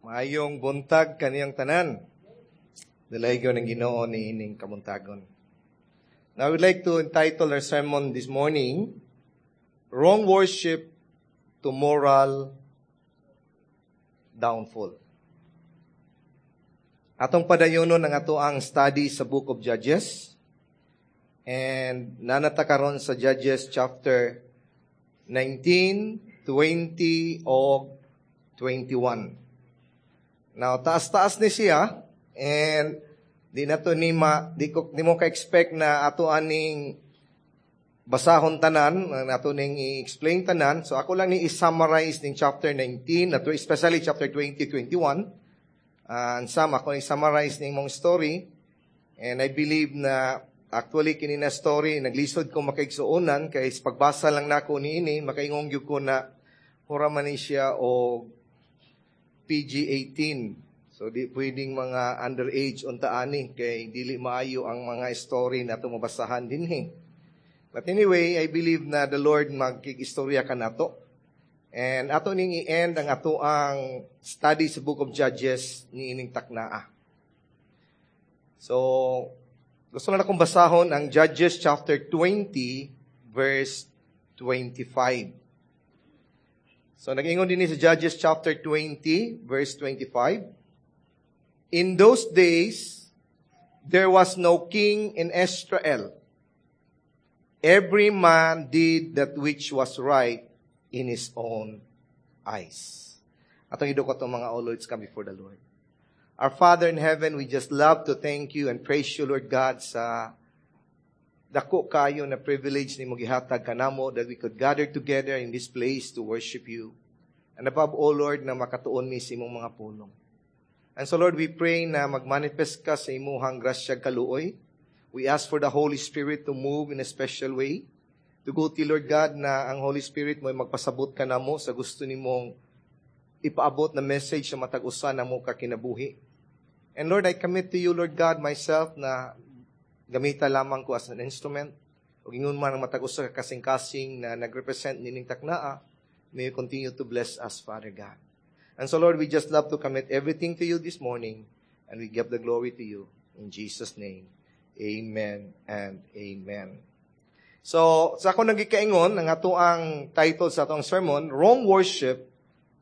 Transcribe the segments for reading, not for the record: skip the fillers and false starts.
Maayong buntag kaniyang tanan. Dalaygon ng Ginoo ni ining kabuntagon. Now, I would like to entitle our sermon this morning, "Wrong Worship to Moral Downfall." Atong padayonon ang ato ang study sa Book of Judges. And naa na ta karon sa Judges chapter 19, 20, o 21. Now, taas-taas ni siya, and di na to ni ma, di, ko, di mo ka-expect na ato aning basahon tanan, ato ning i-explain tanan. So ako lang ni i-summarize ning chapter 19, ato especially chapter 20, 21. And some ako i-summarize ning mong story. And I believe na actually kini na story naglisod ko makaigsuonan kay sa pagbasa lang nako niini, makaingon gyud ko na mura man ni siya og PG-18. So di pwedeng mga underage unta ani kay dili maayo ang mga story na ato mabasahan dinhi. But anyway, I believe na the Lord magkig-istorya kanato. And ato ning i-end ang ato ang study sa Book of Judges ni ining taknaa. So, gusto na akong basahon ang Judges chapter 20 verse 25. So nag-ingon din sa Judges chapter 20 verse 25. "In those days, there was no king in Israel. Every man did that which was right in his own eyes." Atong idukot ang mga ulo, let's come before the Lord. Our Father in heaven, we just love to thank you and praise you, Lord God, sa dako kayo na privilege ni mo gihatag kanamo that we could gather together in this place to worship you. And above all, Lord, na makatuon mi sa imong mga pulong. And so, Lord, we pray na magmanifest ka sa imuhang grasya kaluoy. We ask for the Holy Spirit to move in a special way. Tuguti, Lord God, na ang Holy Spirit mo ay magpasabot kanamo sa gusto nimong ipaabot na message sa matag usa namo ka kinabuhi. And Lord, I commit to you, Lord God, myself na gamita lamang ko as an instrument. Ug ingon man ang matag usa ka kasing-kasing na nagrepresent nining taknaa, may you continue to bless us, Father God. And so, Lord, we just love to commit everything to you this morning, and we give the glory to you. In Jesus' name, amen and amen. So, sa ako nagikaingon, ang ato ang title sa atong sermon, "Wrong Worship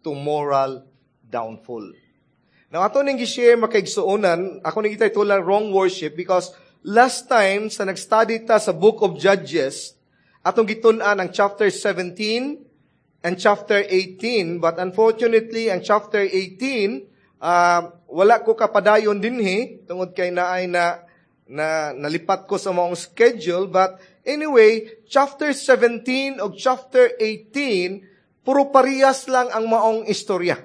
to Moral Downfall." Now, ato ning gi-share, makaigsuonan, ako ning gititle lang "Wrong Worship" because last time sa nag-study ta sa Book of Judges, atong gitun-an ang chapter 17 and chapter 18, but unfortunately, ang chapter 18, wala ko kapadayon dinhi tungod kay naay na na nalipat ko sa maong schedule. But anyway, chapter 17 o chapter 18, puro parehas lang ang maong istorya.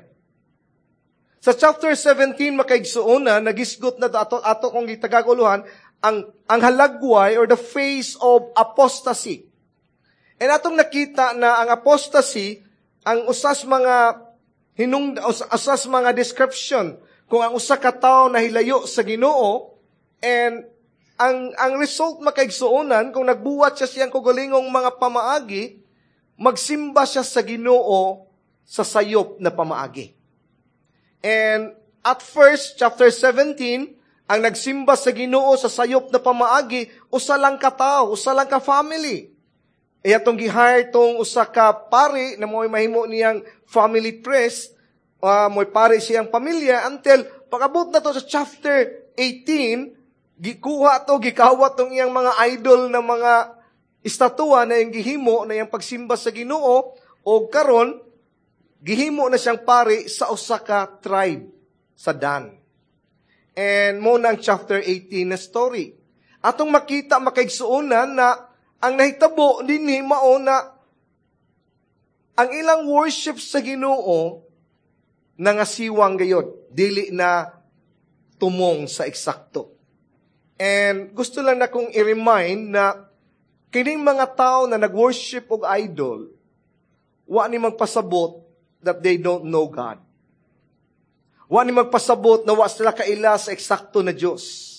Sa chapter 17, makaigsuonan, nagisgot na ato, ato kong gitagaguluhan, ang halagway or the face of apostasy. And atong nakita na ang apostasy, ang usas mga hinung usas mga description kung ang usa ka tawo nahilayo sa Ginoo, and ang result, makaigsuonan, kung nagbuhat siya siyang kaugalingong mga pamaagi, magsimba siya sa Ginoo sa sayop na pamaagi. And at first, chapter 17, ang nagsimba sa Ginoo sa sayop na pamaagi, usa lang ka tawo, usa lang ka family. E atong gi-hire tong usa ka pari na mo'y mahimo niyang family priest, mo'y pari siyang pamilya until pag-abot na to sa chapter 18, gikuha to, gikawat tong iyang mga idol na mga estatwa na iyang gihimo na iyang pagsimba sa Ginoo, o karon gihimo na siyang pari sa usa ka tribe sa Dan. And mo na ang chapter 18 na story. Atong makita, makaigsuonan, na ang nahitabo dinhi mao na ang ilang worship sa Ginoo nangasiwang gayod, dili na tumong sa eksakto. And gusto lang na kong i-remind na kining mga tao na nag-worship og idol, wa ni magpasabot that they don't know God. Wa ni magpasabot na wa sila kaila sa eksakto na Diyos.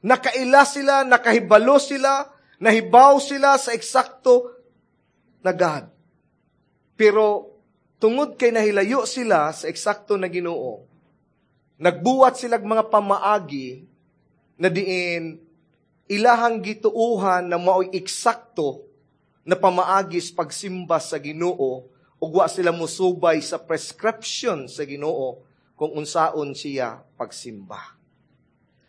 Nakaila sila, nakahibalo sila, nahibaw sila sa eksakto na God. Pero Tungod kay nahilayo sila sa eksakto na Ginoo, nagbuhat sila mga pamaagi na diin ilahang gituuhan na mao'y eksakto na pamaagi sa pagsimba sa Ginoo ug wa sila musubay sa prescription sa Ginoo kung unsaon siya pagsimba.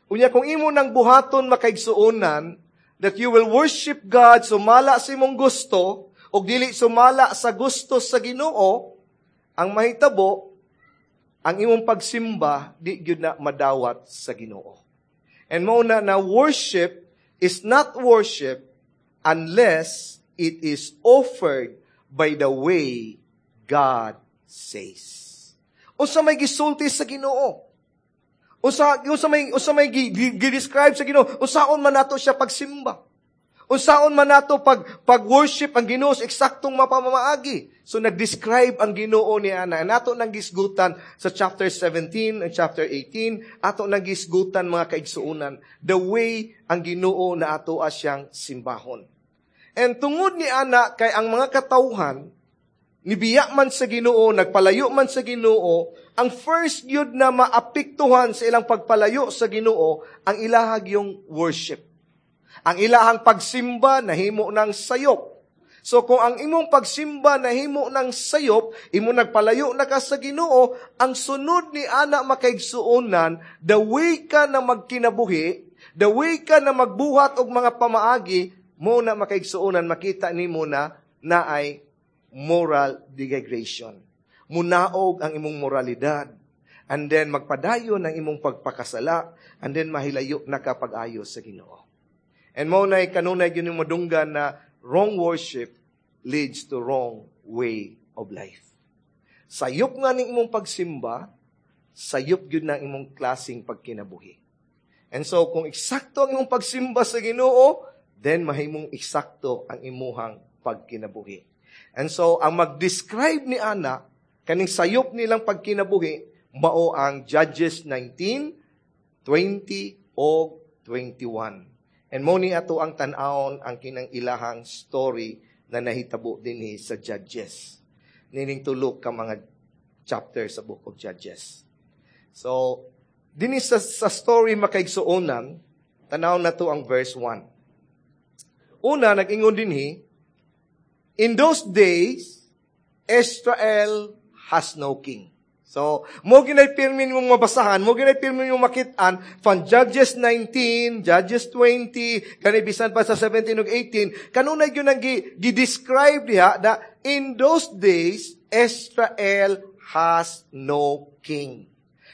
Unya kung imo nang buhaton, makaigsuonan, that you will worship God sumala sa imong gusto ug dili sumala sa gusto sa Ginoo, ang mahitabo, ang imong pagsimba di gyud na madawat sa Ginoo. And mao na na worship is not worship unless it is offered by the way God says. Unsa may gisulti sa Ginoo? Unsa may gi-describe sa Ginoo? Unsaon man nato siya pagsimba? Unsaon man nato pag-worship ang Ginoo sa eksaktong mapamamaagi? So nag-describe ang Ginoo ni ana. Nato nang gisgutan sa chapter 17 and chapter 18, ato nang gisgutan, mga kaigsuonan, the way ang Ginoo na ato siyang simbahon. And tungod ni ana kay ang mga katawhan nibiya man sa Ginoo, nagpalayo man sa Ginoo, ang first gyud na maapektuhan sa ilang pagpalayo sa Ginoo ang ilahag yung worship. Ang ilahang pagsimba nahimo ng sayop. So kung ang imong pagsimba nahimo ng sayop, imo nagpalayo na ka sa Ginoo, ang sunod ni ana, makaigsuonan, the way ka na magkinabuhi, the way ka na magbuhat og mga pamaagi, mo na, makaigsuonan, makita nimo na naay moral degradation. Munaog ang imong moralidad. And then magpadayon ang imong pagpakasala, and then mahilayo na ka pag-ayo sa Ginoo. And mo na kanunay gyud madunggan na wrong worship leads to wrong way of life. Sayop nga ning imong pagsimba, sayop gyud na imong klaseng pagkinabuhi. And so kung eksakto ang imong pagsimba sa Ginoo, then mahimong eksakto ang imuhang pagkinabuhi. And so ang mag-describe ni ana kaning sayop nilang pagkinabuhi mao ang Judges 19, 20 o 21. And mo ni ato ang tan-awon ang kinang ilahang story na nahitabo dinhi sa Judges. Nining tulo ka mga chapter sa Book of Judges. So, dinhi sa story, makaigsuonan, tanaw na to ang verse 1. Una, nag-ingon dinhi, "In those days, Israel has no king." So, mo ginay pirmi mong mabasahan, mo ginay pirmi mong makitaan, from Judges 19, Judges 20, kani bisan pa sa 17 ug 18, kanunay gyud ang gi-describe diha na in those days, Israel has no king.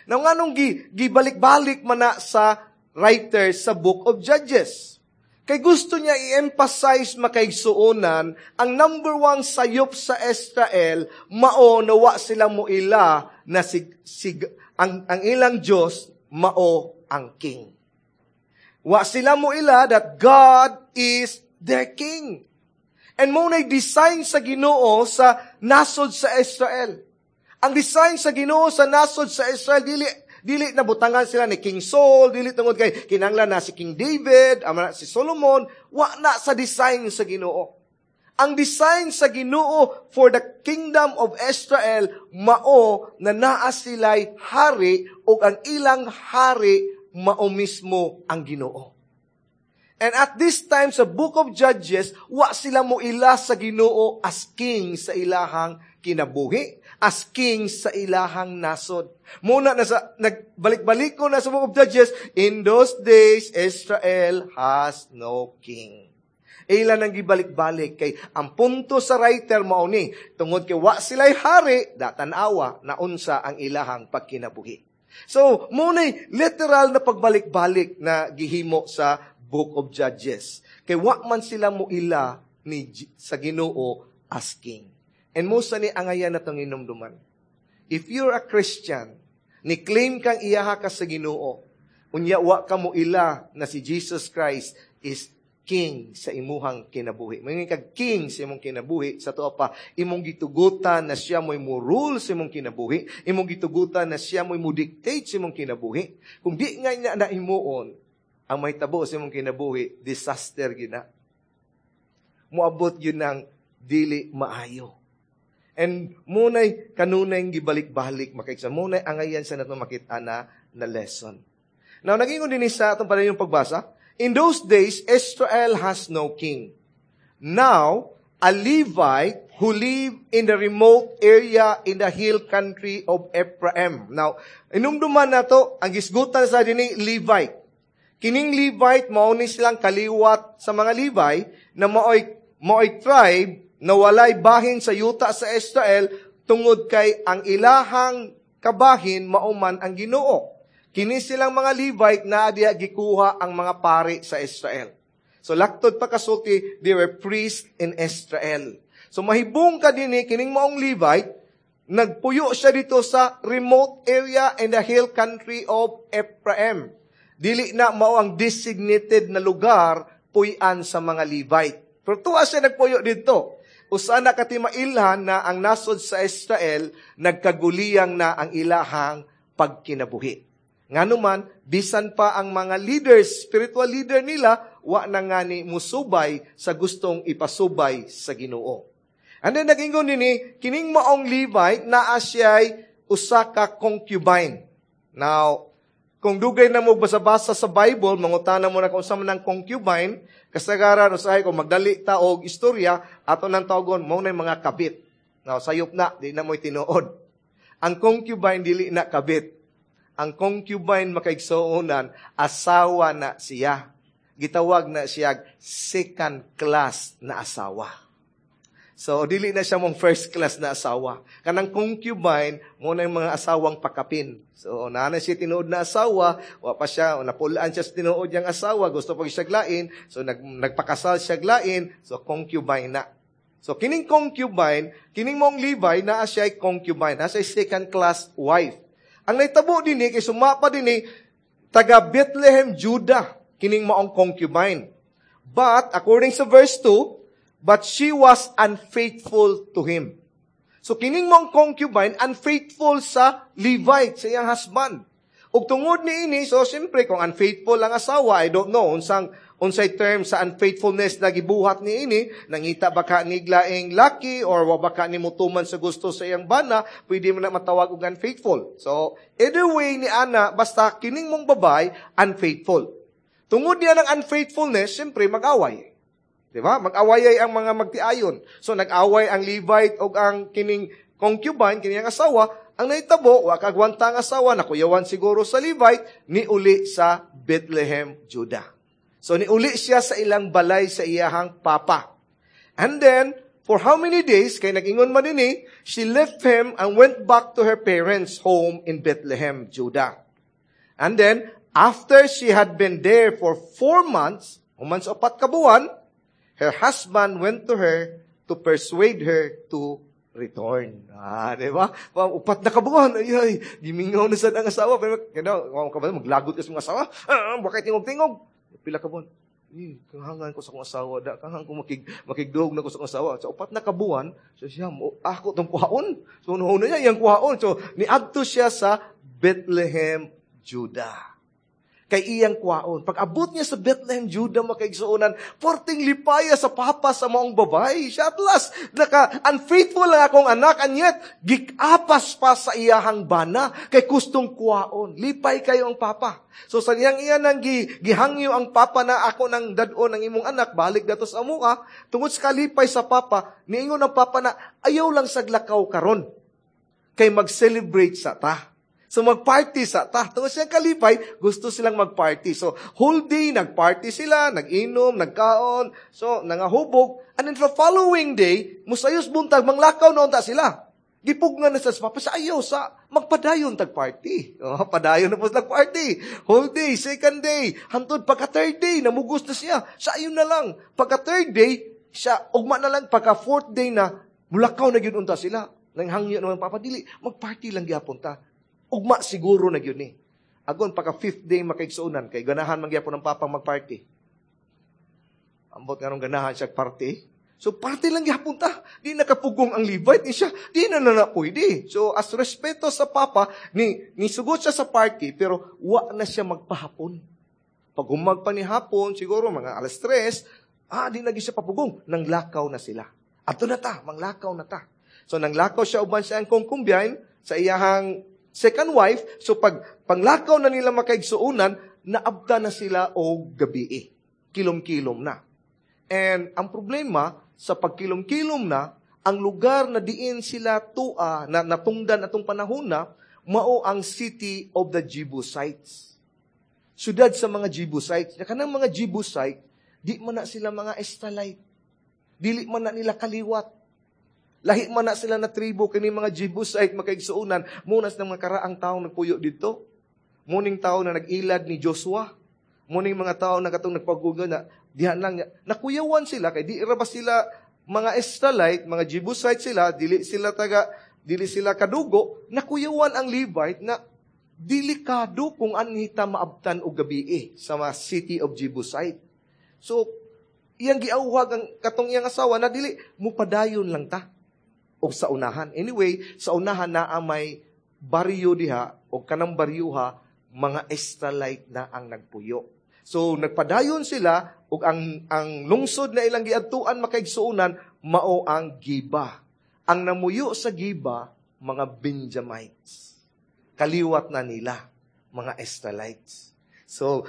Now, nganong gibalik-balik man na sa writer sa Book of Judges? Kay gusto niya i-emphasize, makaigsuonan, ang number one sayop sa Israel, mao na wa sila moila na si ang ilang Diyos mao ang king. Wa sila moila that God is their king. And mo na design sa Ginoo sa nasod sa Israel. Ang design sa Ginoo sa nasod sa Israel, dili dili na butangan sila ni King Saul, dili tungod kay kinanglan na si King David, ama si Solomon, wa na sa design sa Ginoo. Ang design sa Ginoo for the kingdom of Israel mao na naa sila'y hari ug ang ilang hari mao mismo ang Ginoo. And at this time sa Book of Judges, wa sila mo ila sa Ginoo as king sa ilahang kinabuhi, as king sa ilahang nasod. Muna na sa, nagbalik-balik ko na sa Book of Judges, "In those days, Israel has no king." Ila nang gibalik-balik kay ang punto sa writer mao ni tungod kay wa sila'y hari, datan-awa na unsa ang ilahang pagkinabuhi. So, mo literal na pagbalik-balik na gihimo sa Book of Judges. Kay wa man sila mo ila ni sa Ginoo as king. And mo sa ni angayan na tong inumduman. If you're a Christian, ni claim kang iyaha ka sa Ginoo, unya wa ka mo ila na si Jesus Christ is king sa imuhang kinabuhi. Mangin kag king sa imong kinabuhi, sa tuwa pa, imong gitugutan na siya mo'y mo-rule sa imong kinabuhi, imong gitugutan na siya mo'y mo-dictate sa imong kinabuhi. Kung di nga niya na himuon, ang mahitabo sa imong kinabuhi, disaster gina. Muabot yun ng dili maayo. And munay kanunay gibalik-balik, makaigsa. Munay angayan sa nato makita na lesson. Now, naging din sa atong pala yung pagbasa, "In those days, Israel has no king. Now, a Levite who lived in the remote area in the hill country of Ephraim." Now, inumduman nato, ang gisgutan sa dinhi Levite. Kining Levite, mao ni silang kaliwat sa mga Levi na maoy tribe na walay bahin sa yuta sa Israel tungod kay ang ilahang kabahin mao man ang Ginoo. Kini silang mga Levite na diha gikuha ang mga pari sa Israel. So laktod pa kasulti, they were priests in Israel. So mahibong ka dinhi, kining maong Levite, nagpuyo siya dito sa remote area in the hill country of Ephraim. Dili na mao ang designated na lugar puy-an sa mga Levite. Pero tuwa siya nagpuyo dito. Usa na katimailhan na ang nasod sa Israel, nagkaguliyang na ang ilahang pagkinabuhi. Nganuman, bisan pa ang mga leaders, spiritual leader nila, wa na nga ni musubay sa gustong ipasubay sa Ginoo. And then nag-ingon nini, kining maong Levite, naa siya'y usa ka concubine. Now, kung dugay na mo basa-basa sa Bible, mangutana mo na kung sa man ang concubine, kasagaran, usahay kung magdali ta og istorya, ato nang tawagon, mao na mga kabit. Now, sayop na, di na mo'y tinuod. Ang concubine, dili na kabit. Ang concubine, makaigsuonan, asawa na siya. Gitawag na siya second class na asawa. So, dili na siya mong first class na asawa. Kanang concubine, mo na yung mga asawang pakapin. So, naa siya tinuod na asawa, wa pa siya, napulaan siya sa tinuod niyang asawa, gusto pag siya lain, so nagpakasal siya lain, so concubine na. So, kining concubine, kining mong Levi, naa siya concubine, naa siya second class wife. Ang naitabo dinhi, kay sumapa dinhi, taga Bethlehem, Judah, kining maong concubine. But, according sa verse 2, but she was unfaithful to him. So, kining mong concubine, unfaithful sa Levite, sa iyang husband. Ug tungod ni ini, so siyempre, kung unfaithful ang asawa, I don't know, unsay term sa unfaithfulness na gibuhat ni ini, nangita baka ni laing laki or wa baka ni mutuman sa gusto sa iyang bana, pwede mo na matawag og unfaithful. So, either way ni ana, basta kining mong babay, unfaithful. Tungod niya ng unfaithfulness, siyempre mag-away. Di ba? Mag-away ay ang mga magtiayon. So, nag-away ang Levite og ang kining concubine, kining ang asawa. Ang nahitabo, wa kagwanta ang asawa, nakuyawan siguro sa Levite, niuli sa Bethlehem, Judah. So, niuli siya sa ilang balay sa iyahang papa. And then, for how many days, kay nag-ingon man dinhi, she left him and went back to her parents' home in Bethlehem, Judah. And then, after she had been there for 4 months, human sa 4 ka buwan, her husband went to her to persuade her to return. Ah, di ba? 4 na ka buwan, ay, ay, gimingaw na sad ang asawa. Pero, ka ba, maglagot ka sa mga asawa? Ah, bakit tingog-tingog? Pila ka buwan? Eh, kahangan ko sa akong asawa, da, kahangan ko makigdog na ko sa akong asawa. Sa 4 na ka buwan, so siya, mo, ako tong kuhaon. So, una niya, iyang kuhaon. So, niadto siya sa Bethlehem, Judah. Kay iyang kuhaon. Pag abot niya sa Bethlehem, Judah, makaigsuonan, porting lipaya sa papa sa maong babay. Siya at last, naka, unfaithful lang akong anak, and yet, gikapas pa sa iyahang bana, kay gustong kuhaon. Lipay kayo ang papa. So sa niyang iya nang gihangyo ang papa na ako nang dad-on ang imong anak, balik dato sa amoa, tungod sa kalipay sa papa, niingon ang papa na ayaw lang saglakaw karon. Kay mag-celebrate sa ta. So mag-party sa ta. Tungod siyang kalipay, gusto silang mag-party. So whole day, nag-party sila, nag-inom, nagkaon, so nangahubog. And then the following day, musayos buntag, manglakaw na unta sila. Gipugnan na sa papa, sa ayaw, sa magpadayon tag-party. Oh, padayon na po sa party. Whole day, second day, hantod pagka third day, namugos na siya. Sa ayon na lang. Pagka third day, siya, ugma na lang, pagka fourth day na, mulakaw na gyud unta sila. Nanghangyo naman papa, dili, mag-party lang gyapon ta. Ugma siguro na gyud ni. Agon, pagka fifth day makaigsuonan, kay ganahan man gyapon ang papang mag-party. Ambot nga nung ganahan siya party. So, party lang gyapon ta. Di nakapugong ang Levite ni siya. Di na na pwede. So, as respeto sa papa, ni sugot siya sa party, pero wa na siya magpahapon. Pag humag pa ni hapon, siguro mga 3:00, di na siya papugong. Nanglakaw na sila. Ato na ta, manglakaw na ta. So nanglakaw siya uban sa iyang concubine, sa iyahang second wife. So pag panglakaw na nila makaigsuonan, naabta na sila og gabii. Kilom-kilom na. And ang problema, sa pagkilom-kilom na, ang lugar na diin sila tua, na natungdan atong panahon na, mao ang city of the Jebusites. Siyudad sa mga Jebusites. Na kanang mga Jebusite, di man na sila mga Israelite. Dili man na nila kaliwat. Lahi man na sila na tribo kini mga Jebusite makaigsuonan, munas ng mga karaang taong nagpuyo dito. Muning tao na nag-ilad ni Joshua. Muning mga tao na katong nagpaguga na dihan lang niya. Nakuyawan sila kay di ra ba sila mga Israelite, mga Jebusite sila, dili sila taga, dili sila kadugo, nakuyawan ang Levite na delikado kung anhita maabtan og gabii sa mga city of Jebusite. So, iyang giawhag ang katong iyang asawa na dili mupadayon lang ta og sa unahan. Anyway, sa unahan naa may baryo diha og kanang baryoha mga Israelite na ang nagpuyo. So nagpadayon sila og ang lungsod na ilang giadtuan makaigsuonan mao ang Giba. Ang namuyo sa Giba mga Benjamites. Kaliwat na nila mga Israelites. So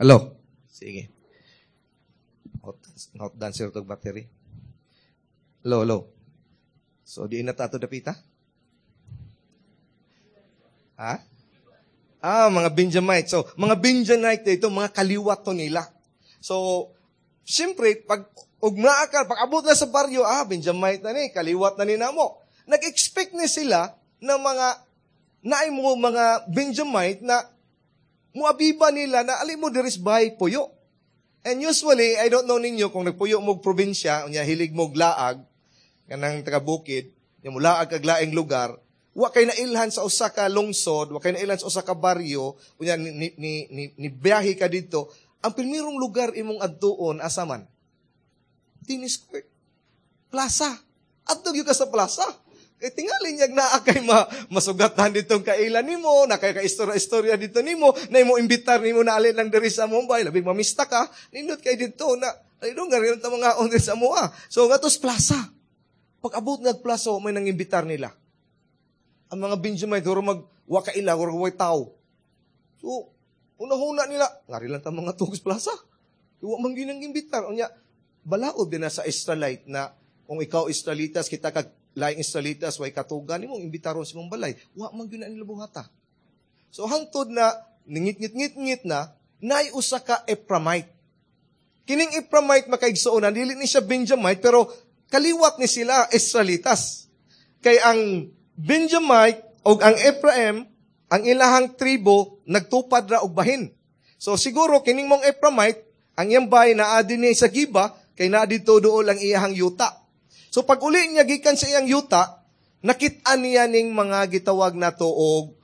Hello. Sige. Hot dancer tog battery. Hello, hello. So, di na tato dapita? Ha? Ah, mga Benjamite. So, mga Benjamite ito, mga kaliwat to nila. So, siyempre, pag ugmaa ka, pag abot na sa baryo, Benjamite na ni, kaliwat na ni namo. Nag-expect ni sila na mga, naay mo mga Benjamite na muabiba nila na ali mo diris bay puyo. And usually, I don't know ninyo kung nagpuyo mo probinsya, unya hilig mo laag, kanang taga bukid, nya mulaag kag laing lugar, wa kay nailhan sa usa ka lungsod, wa kay nailhan sa usa ka baryo, unya ni biyahe ka didto, ang primerong lugar imong adtuon asa man? Tennis court. Plaza. Adto gyud ka sa plaza. Kay tingali niyag naa kay masugatan ditong kaila nimo, na kay ka-istorya-istorya dito nimo, na imo imbitar nimo na alin lang diri sa Mumbai, labing mamista ka, nindot kay dito na ay dong garin ta mga on sa moa. So ngatos plaza. Pag abot nga plaza, may nangimbitar nila. Ang mga Benjamite huro mag wa kaila, huro way tao. So unahuna nila, ngari lang ta mga tugs plaza. Wa man gyud imbitar. Unya balaod din na sa Israelite na kung ikaw Israelitas, kita kag laing Israelitas, way katugan nimong imbitaron sa imong balay, wa man gyud na nila buhata. So hangtod na ningit-ngit-ngit na naay usa ka Ephraimite. Kining Ephraimite makaigsuonan, dili ni siya Benjamite pero kaliwat ni sila Israelitas. Kay ang Benjamite og ang Ephraim, ang ilahang tribo nagtupad ra og bahin. So siguro kining mong Ephraimite, ang iyang bahay naa dinhi sa Giba, kay naa didto duol ang iyahang yuta. So pag uli niya gikan sa iyang yuta, nakit-an niya ning mga gitawag nato og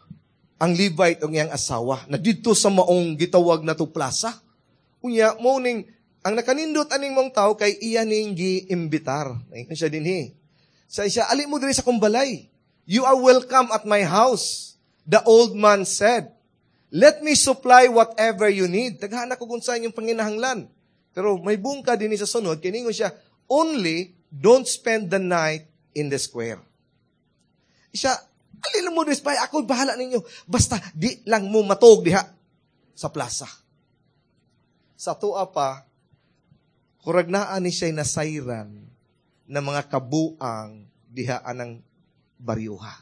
ang Levite og iyang asawa na didto sa maong gitawag nato plaza. Unya mo ning ang nakanindot aning mong tawo kay iya ning giimbitar. Ingon siya dinhi. Sa siya, ali mo diri sa akong balay. You are welcome at my house, the old man said. Let me supply whatever you need. Daghan ako kung saan yung panginahanglan. Pero may bungka dinhi sa sunod, kiningon siya, only don't spend the night in the square. Siya, alin mo diri, bay, ako bahala ninyo. Basta di lang mo matog diha sa plaza. Sa tuwa pa, kurag naa ni siya'y nasayran na mga kabuang diha anang baryuha.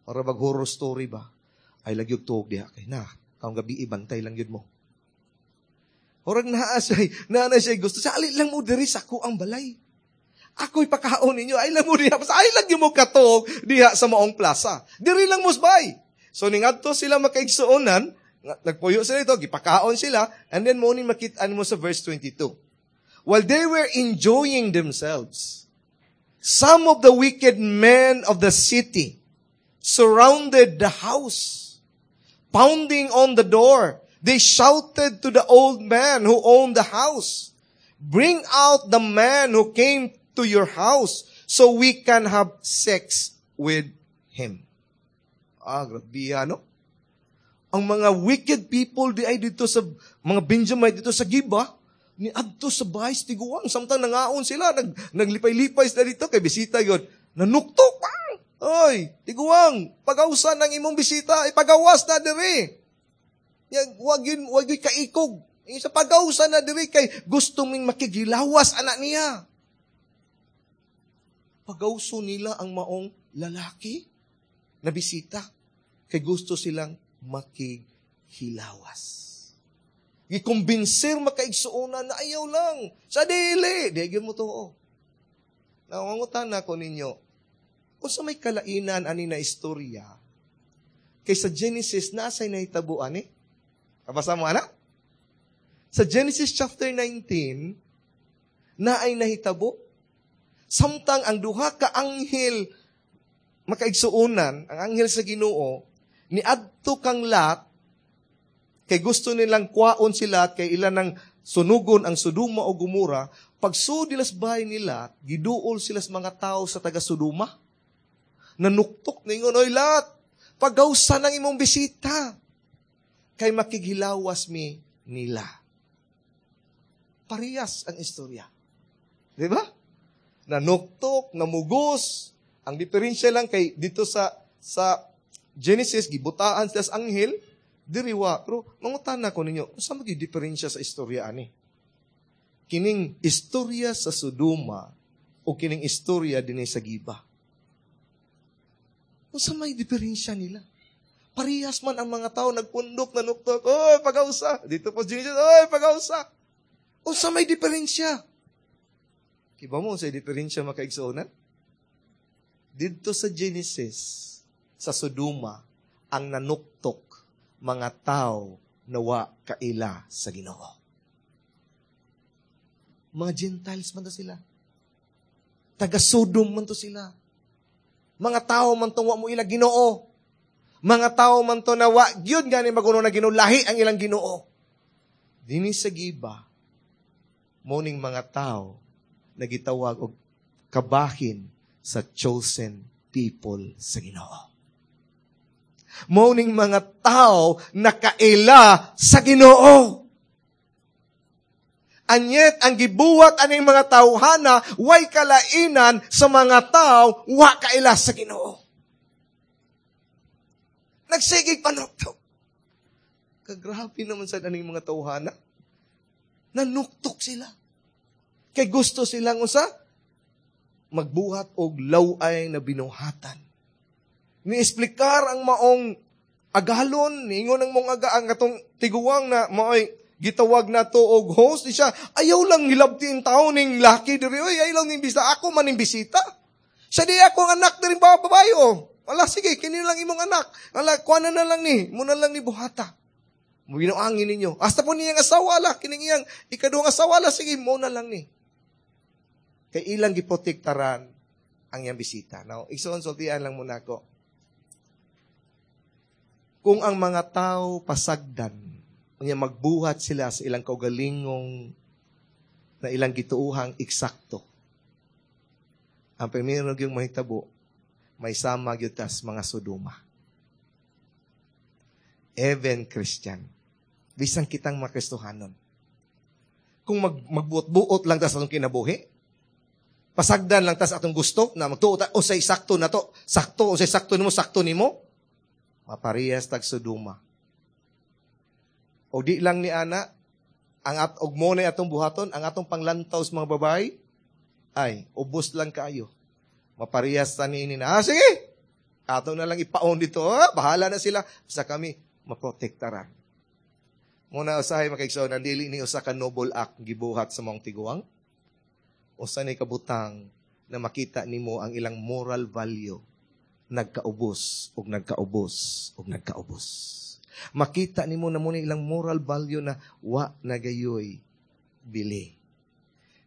Para bag horror story ba? Ay lagyog tuog diha kay na, kaong gabi ibantay lang yun mo. Horag naa siya gusto. Sa alin lang mo diri sa ako ang balay. Ako'y pakaon ninyo. Ay lang mo diha. Basta ay lang yun mo katog diha sa maong plaza. Diri lang mo bay. So ningadto sila makaigsuonan, nagpuyo sila ito, gipakaon sila, and then mo ni makit-an mo sa verse 22. While they were enjoying themselves, some of the wicked men of the city surrounded the house, pounding on the door. They shouted to the old man who owned the house, "Bring out the man who came to your house so we can have sex with him." Ah, grabe, ano? Ang mga wicked people di ay dito sa mga Benjamite dito sa Giba, ni adto sa bahay sa tiguang. Samtang nangaon sila, naglipay-lipay sila dito, kay bisita yun. Nanuktok pa! Oy, tiguang, pagawsan ng imong bisita, ipagawas na diri. Wag yun, wag yun kaikog. Sa pagawsan na diri kay gusto ming makigilawas anak niya. Pagawso nila ang maong lalaki na bisita kay gusto silang makighilawas. Gikumbinser makaigsuonan na ayaw lang. Sa dili, di gyud mo tuo. Nangungutan na ko ninyo, kung sa may kalainan ani na istorya, kay sa Genesis, nasa'y nahitabuan eh. Kabasa mo, anak? Sa Genesis chapter 19, na ay nahitabo. Samtang ang duha ka anghel makaigsuonan, ang anghel sa Ginoo, ni adto kang Lot, kay gusto nilang kwaon sila kay ilan ng sunugon ang Sodoma o Gomora, pagsud nila sa bahay nila, giduol sila sa mga tao sa taga Sodoma. Nanuktok ningon, "Oy Lot, pagawsan ang imong bisita, kay makighilawas mi nila." Parehas ang istorya. Di ba? Nanuktok, namugos. Ang diferensya lang kay dito sa Genesis, gibutaan sila sa anghel, diriwa. Pero mangutan na ko ninyo, unsa man gyud diferensya sa istorya ani? Kining istorya sa Sodoma o kining istorya dinhi sa Giba? Unsa may diferensya nila? Parehas man ang mga tao nagpundok, nanuktok, "Oy, pagawsa." Dito po Genesis, "Oy, pagawsa." Unsa may diferensya? Kiba mo sa diferensya, makaigsuonan? Dito sa Genesis, sa Sodoma, ang nanuktok mga tao na wa kaila sa Ginoo. Mga Gentiles man to sila. Taga Sodom man to sila. Mga tao man to wa mo ila Ginoo. Mga tao man to na wa gyud gani maguno na Ginoo, lahi ang ilang Ginoo. Dinhi sa Giba, morning mga tao nagitawag og kabahin sa chosen people sa Ginoo. Morning mga tao nakaila sa Ginoo. Anyet ang gibuhat aning mga tawhana way kalainan sa mga tao wa kaila sa Ginoo. Nagsigig panuktok. Kagrabe naman sa aning mga tawhana. Nanuktok sila. Kay gusto silang usa magbuhat og laway na binuhatan. Ni-esplikar ang maong agalon, niingon ang mong aga ang atong tiguang na maoy gitawag na to og host di siya, "Ayaw lang hilabti tao ning laki diri, oy, ayaw lang ning bisita, ako man ning bisita. Sa di ako ang anak diri babae oh. Wala, sige, kini lang imong anak. Wala, kuha na lang ni, muna lang ni buhata. Binuangin ninyo. Hasta po niyang asawa la, kining iyang ikaduhang asawa la, sige, mo na lang ni." Kay ilang giprotektaran ang iyang bisita. Now, igsoon, sultian lang muna ako. Kung ang mga tao pasagdan, unya magbuhat sila sa ilang kaugalingong na ilang gituuhang eksakto, ang primero yung mahitabo, may sama gyud tas mga Sodoma. Even Christian, bisan kitang mga Kristohanon, kung magbuot-buot lang tas atong kinabuhi, pasagdan lang tas atong gusto, na magtuo ta, o say sakto na to, sakto, o say sakto nimo, maparehas tag Sodoma. O di lang ni ana, ang at og mo na atong buhaton, ang atong panglantaw sa mga babae, ay, ubos lang kaayo. Maparehas ta niini na, sige, ato na lang ipaon dito, bahala na sila, basta kami, maprotektaran. Muna usahay makaigsoon, ang dili ni usa ka noble act gibuhat sa mong tiguang, usa ni kabutang na makita nimo ang ilang moral value nagkaubos og nagkaubos og nagkaubos. Makita nimo na muna ilang moral value na wa nagayoy bili.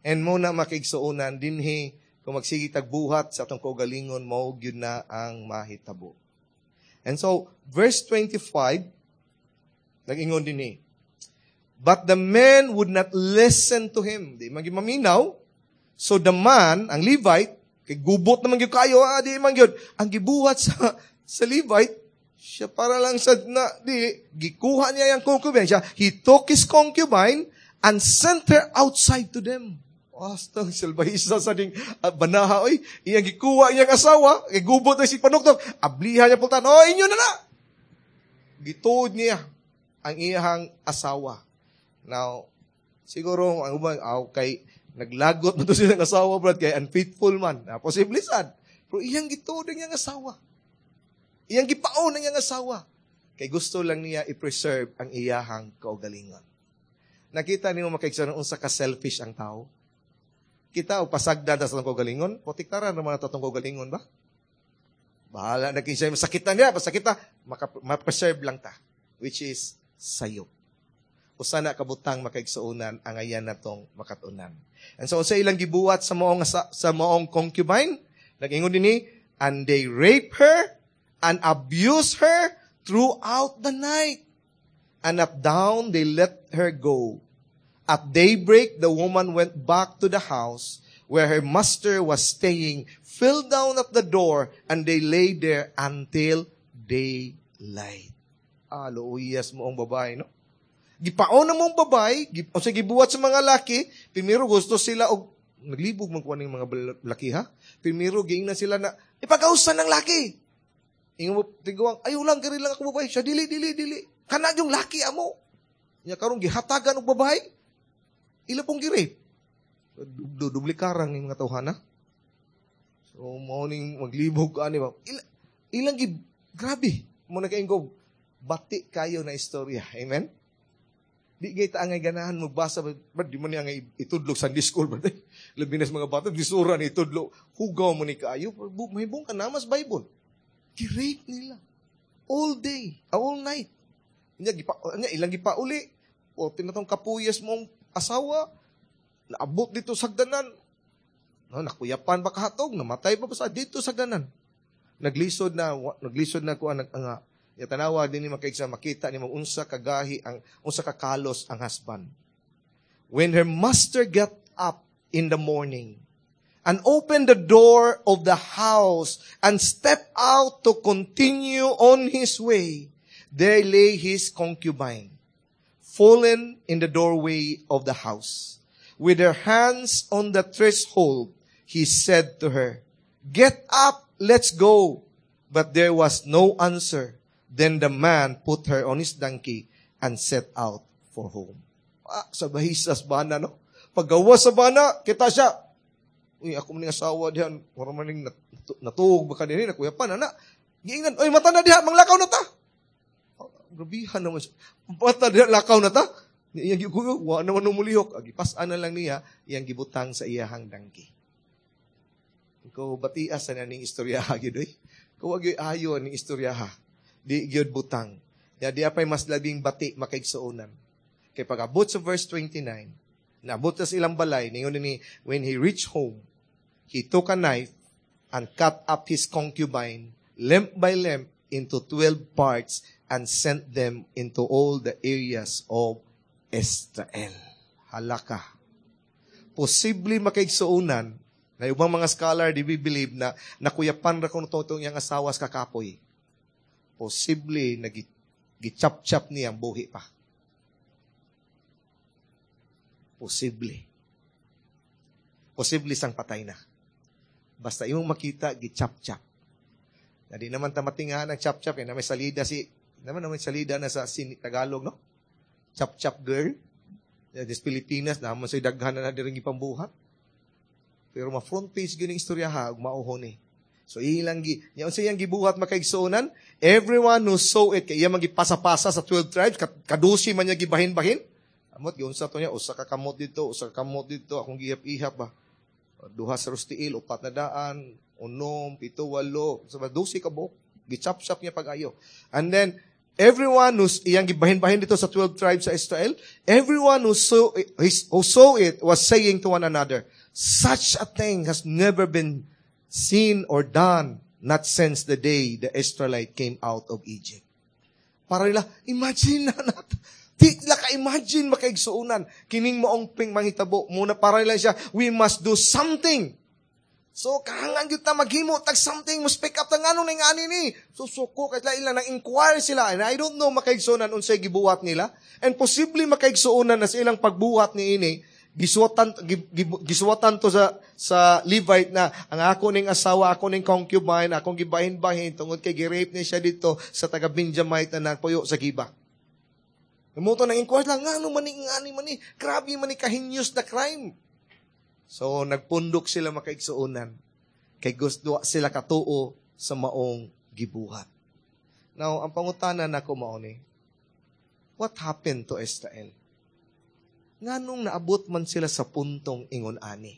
And mo na makigsuonan dinhi kung magsige tagbuhat sa atong kaugalingon, mao gyud na ang mahitabo. And so verse 25 nag-ingon dinhi. But the men would not listen to him. Di man maminaw. So the man, ang Levite, kay gubot naman gyud kayo, di man gyud. Ang gibuhat sa Levite, siya para lang sa na, di, gikuha niya yung concubine. Siya, he took his concubine and sent her outside to them. Basta salbahisa sa ding banaha, oy. Iyang gikuha iyang asawa, kay gubot na si panuktok, abliha niya pultan, "Oh, inyo na na." Gituod niya ang iyang asawa. Now, siguro, ang ubang, aw, kay, naglagot mo to silang asawa, brad, kay unfaithful man. Ah, posible sad. Pero iyang gituod ang iyang asawa. Iyang gipaon ang iyang asawa. Kay gusto lang niya i-preserve ang iyahang kaugalingon. Nakita niyo, makaigsoon, unsa ka selfish ang tao? Kita o pasagdan ta sa atong kaugalingon, protektaran naman nato atong kaugalingon ba? Bahala na kinsay masakitan niya, basta kita ma-preserve lang ta, which is sayop. Usa na kabutang, makaigsuonan, ang ayan natong makatunan. And so sa ilang gibuhat sa maong concubine, nag-ingon dinhi, and they rape her and abuse her throughout the night. And at dawn they let her go. At daybreak, the woman went back to the house where her master was staying, fell down at the door, and they lay there until daylight. Ah, luuyas mo ang babae, no? Gipaon na mong babae, o sa gibuhat sa mga laki, primero gusto sila og naglibog man kuha ng mga laki ha. Primero giingnan sila na ipagausan ng laki. Ingon mo tiguang, "Ayo lang, kiri lang ako babae." Siya, "Dili, dili, dili. Kana yung laki amo." Nya karon gihatagan og babae. Ila pong gi-rape. Dubli karang ni mga tawhana. So mao ning maglibog ka ani ba. Ilang gi grabe mo na kaingog bati kayo na istorya. Amen. Di gay ta angay ganahan magbasa ba, di man niya angay itudlog sa Sunday school ba. Labi na sa mga bata, disura ni itudlo. Hugaw mo ni kaayo, mahibong ka namas Bible. Gi-rape nila. All day, all night. Nya gipa nya ilang gipauli. O tinatong kapuyas mong asawa, naabot dito sa hagdanan. No, nakuyapan ba kahatog, namatay pa ba sa dito sa hagdanan. Naglisod na kuan nag nga ya tanawa din ni makaigsa makita ni mo unsa kagahi ang unsa kakalos ang husband. When her master got up in the morning and opened the door of the house and stepped out to continue on his way, there lay his concubine, fallen in the doorway of the house. With her hands on the threshold, he said to her, "Get up, let's go." But there was no answer. Then the man put her on his donkey and set out for home. Ah, sa bahisas bana, no? Paggawa sa bana, kita siya. "Uy, ako man asawa diyan, wala man ning natuog ba kanini, nakuyapan, ana." Giingnan, "Uy, mata na diha, manglakaw na ta." Oh, grabihan naman siya. "Mata diha, lakaw na ta." Iyang gikuyo, wa naman umulihok. Gipas-an na lang niya, iyang gibutang sa iyahang donkey. Ikaw, batias sa ning istorya, gyud oy. Ikaw, gyud ayo ning istorya ha. Di gyud butang. Ya di apay mas labing bati, makaigsuonan. Kay pag-abot sa verse 29, naabot sa ilang balay, ningon ni, when he reached home, he took a knife and cut up his concubine, limb by limb, into 12 parts and sent them into all the areas of Israel. Halaka. Posible, makaigsuonan, na ubang mga scholar di believe na nakuyapan ra kuno to iyang asawa sa kakapoy. Posible na gichap-chap niya ang buhi pa. Posible. Posible sang patay na. Basta imong makita, gichap-chap. Na di naman ta matingahan ang chap-chap, eh, na may salida si, naman na may salida na sa sin, Tagalog, no? Chap-chap girl. Des Pilipinas, naman sa daghan na na diri ipambuhat. Pero ma-front page gyud ning istorya ha, ug mauhon ni. So ilang gi, nya unsa iyang gibuhat, makaigsuonan? Everyone who saw it, kay iya man gipasa-pasa sa 12 tribes, kadusi man niya gibahin-bahin. Amot giunsa to niya, usa ka kamot dito, usa ka kamot dito, akong gihap-ihap ba. Duha sa rustiil, upat na daan, unom, pito, walo, sa 12 ka buok. Gichap-chap niya pag-ayo. And then, everyone who's iyang gibahin-bahin dito sa 12 tribes sa Israel, everyone who saw it was saying to one another, "Such a thing has never been seen or done, not since the day the Israelite came out of Egypt." Para nila, imagine na natin. Di la ka-imagine, makaigsuunan. Kining maong ping manghitabo. Muna para lang siya, we must do something. So, kahangan gyud ta maghimo tag something, mo speak up ta, nganong ning ani ni. So, suko kay ilang nang inquire sila. And I don't know, makaigsuonan, unsay gibuhat nila. And possibly, makaigsuonan, na sa ilang pagbuhat ni ini, gisuwatan to sa Levite na ang ako ning asawa, ako ning concubine, akong gibahin-bahin tungod kay gi-rape ni siya dito sa taga Benjamite na nagpuyo sa Giba. Mo to nang inquire lang, ngano man ni ngani man ni, grabe man ni ka-heinous na crime. So, nagpundok sila, makaigsuonan. Kay gusto sila katuo sa maong gibuhat. Now, ang pangutana nako mao ni, what happened to Israel? Nganong naabot man sila sa puntong ingon ani?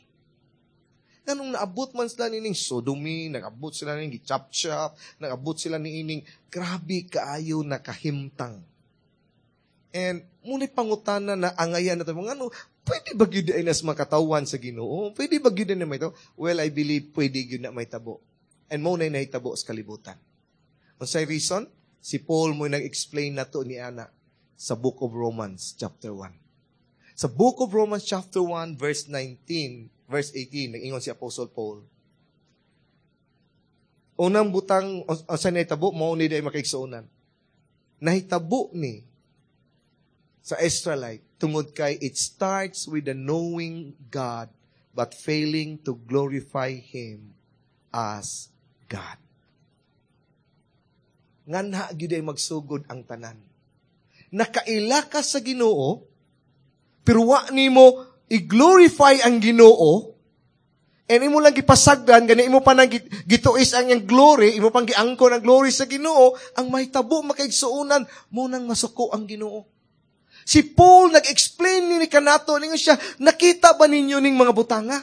Nganong naabot man sila nining sodomy, nagabot sila nining gichop-chop, nagabot sila niining grabe kaayo na kahimtang? And muna pangutana na angayan na ito, ngano, pwede ba gyud ay nas makatawan sa Ginoo? Pwede ba gyud na may tabo? Well, I believe pwede gyud na may tabo. And mo na nahitabo sa kalibutan. Unsay reason? Si Paul mo nag-explain na to ni ana sa Book of Romans chapter 1. Sa Book of Romans chapter 1 verse 19, verse 18, nag-ingon si Apostle Paul. Unang butang sa nahitabo, mao ni day makaigsuonan. Nahitabo ni sa Israelite tungod kay it starts with the knowing God but failing to glorify Him as God. Nganha gyud ay magsugod ang tanan. Nakaila ka sa Ginoo, pero wa nimo i-glorify ang Ginoo, and imo lang gipasagdan, gani imo pa nang gituis ang iyang glory, imo pang giangkon ang glory sa Ginoo, ang mahitabo, makaigsuonan, mo nang masuko ang Ginoo. Si Paul nag-explain ni kanato, ningon siya, "Nakita ba ninyo ning mga butanga?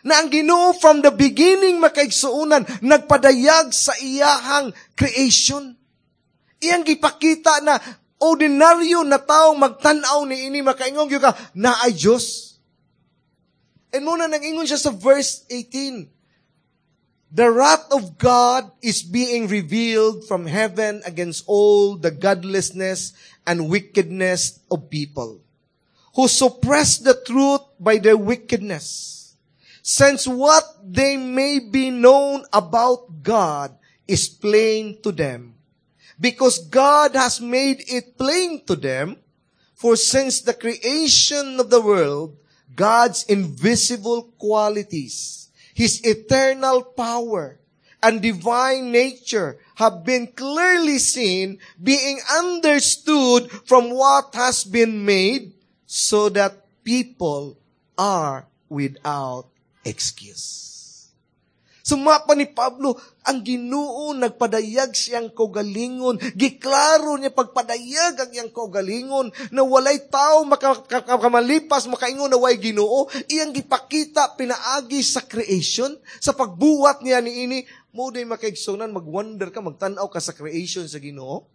Na ang Ginoo from the beginning, makaigsuonan, nagpadayag sa iyahang creation. Iyang gipakita na ordinaryo na taong magtan-aw ni ini makaingon gyud ka na ay Dios." And muna nag-ingon siya sa verse 18, "The wrath of God is being revealed from heaven against all the godlessness and wickedness of people who suppress the truth by their wickedness. Since what they may be known about God is plain to them, because God has made it plain to them, for since the creation of the world, God's invisible qualities, His eternal power, and divine nature have been clearly seen, being understood from what has been made, so that people are without excuse." Suma pa ni Pablo, ang Ginoo nagpadayag siyang kaugalingon. Giklaro niya pagpadayag ang iyang kaugalingon na walay tao makakamalipas, makaingon na way Ginoo. Iyang gipakita pinaagi sa creation, sa pagbuhat niya niini. Mo day makaigsunan, magwonder ka, magtan-aw ka sa creation sa Ginoo.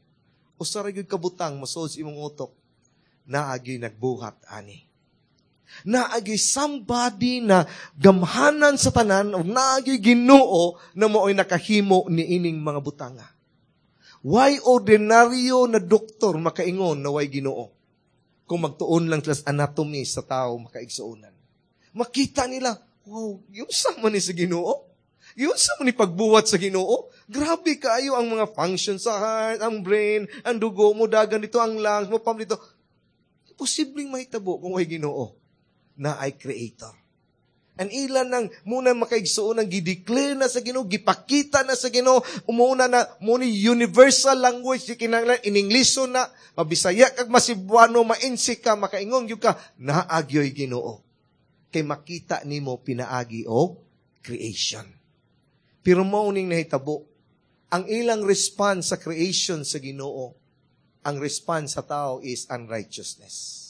Usa ra gyud kabutang mosud sa imong utok, naagi nagbuhat ani. Naagi somebody na gamhanan sa tanan o naagi Ginoo na mao'y nakahimo ni ining mga butanga. Why ordinaryo na doktor makaingon na way Ginoo? Kung magtuon lang sila sa anatomy sa tao, makaigsuonan. Makita nila, wow, yung sama ni sa Ginoo. Yun sa ni pagbuhat sa Ginoo. Grabe kaayo ang mga function sa heart, ang brain, ang dugo mo, dagan dito, ang lungs mo, pam dito. Posibleng mahitabo kung way Ginoo na ay creator. Ang ilan nang muna makaigsuon ang gideclare na sa Ginoo, gipakita na sa Ginoo, umuna na mo ni universal language di kinahanglan in Ingleso na, mabisaya kag masibuano, mainsik ka, makaingon gyud ka naagyoy Ginoo. Kay makita nimo pinaagi og creation. Pero mao ning nahitabo, ang ilang response sa creation sa Ginoo, ang response sa tao is unrighteousness.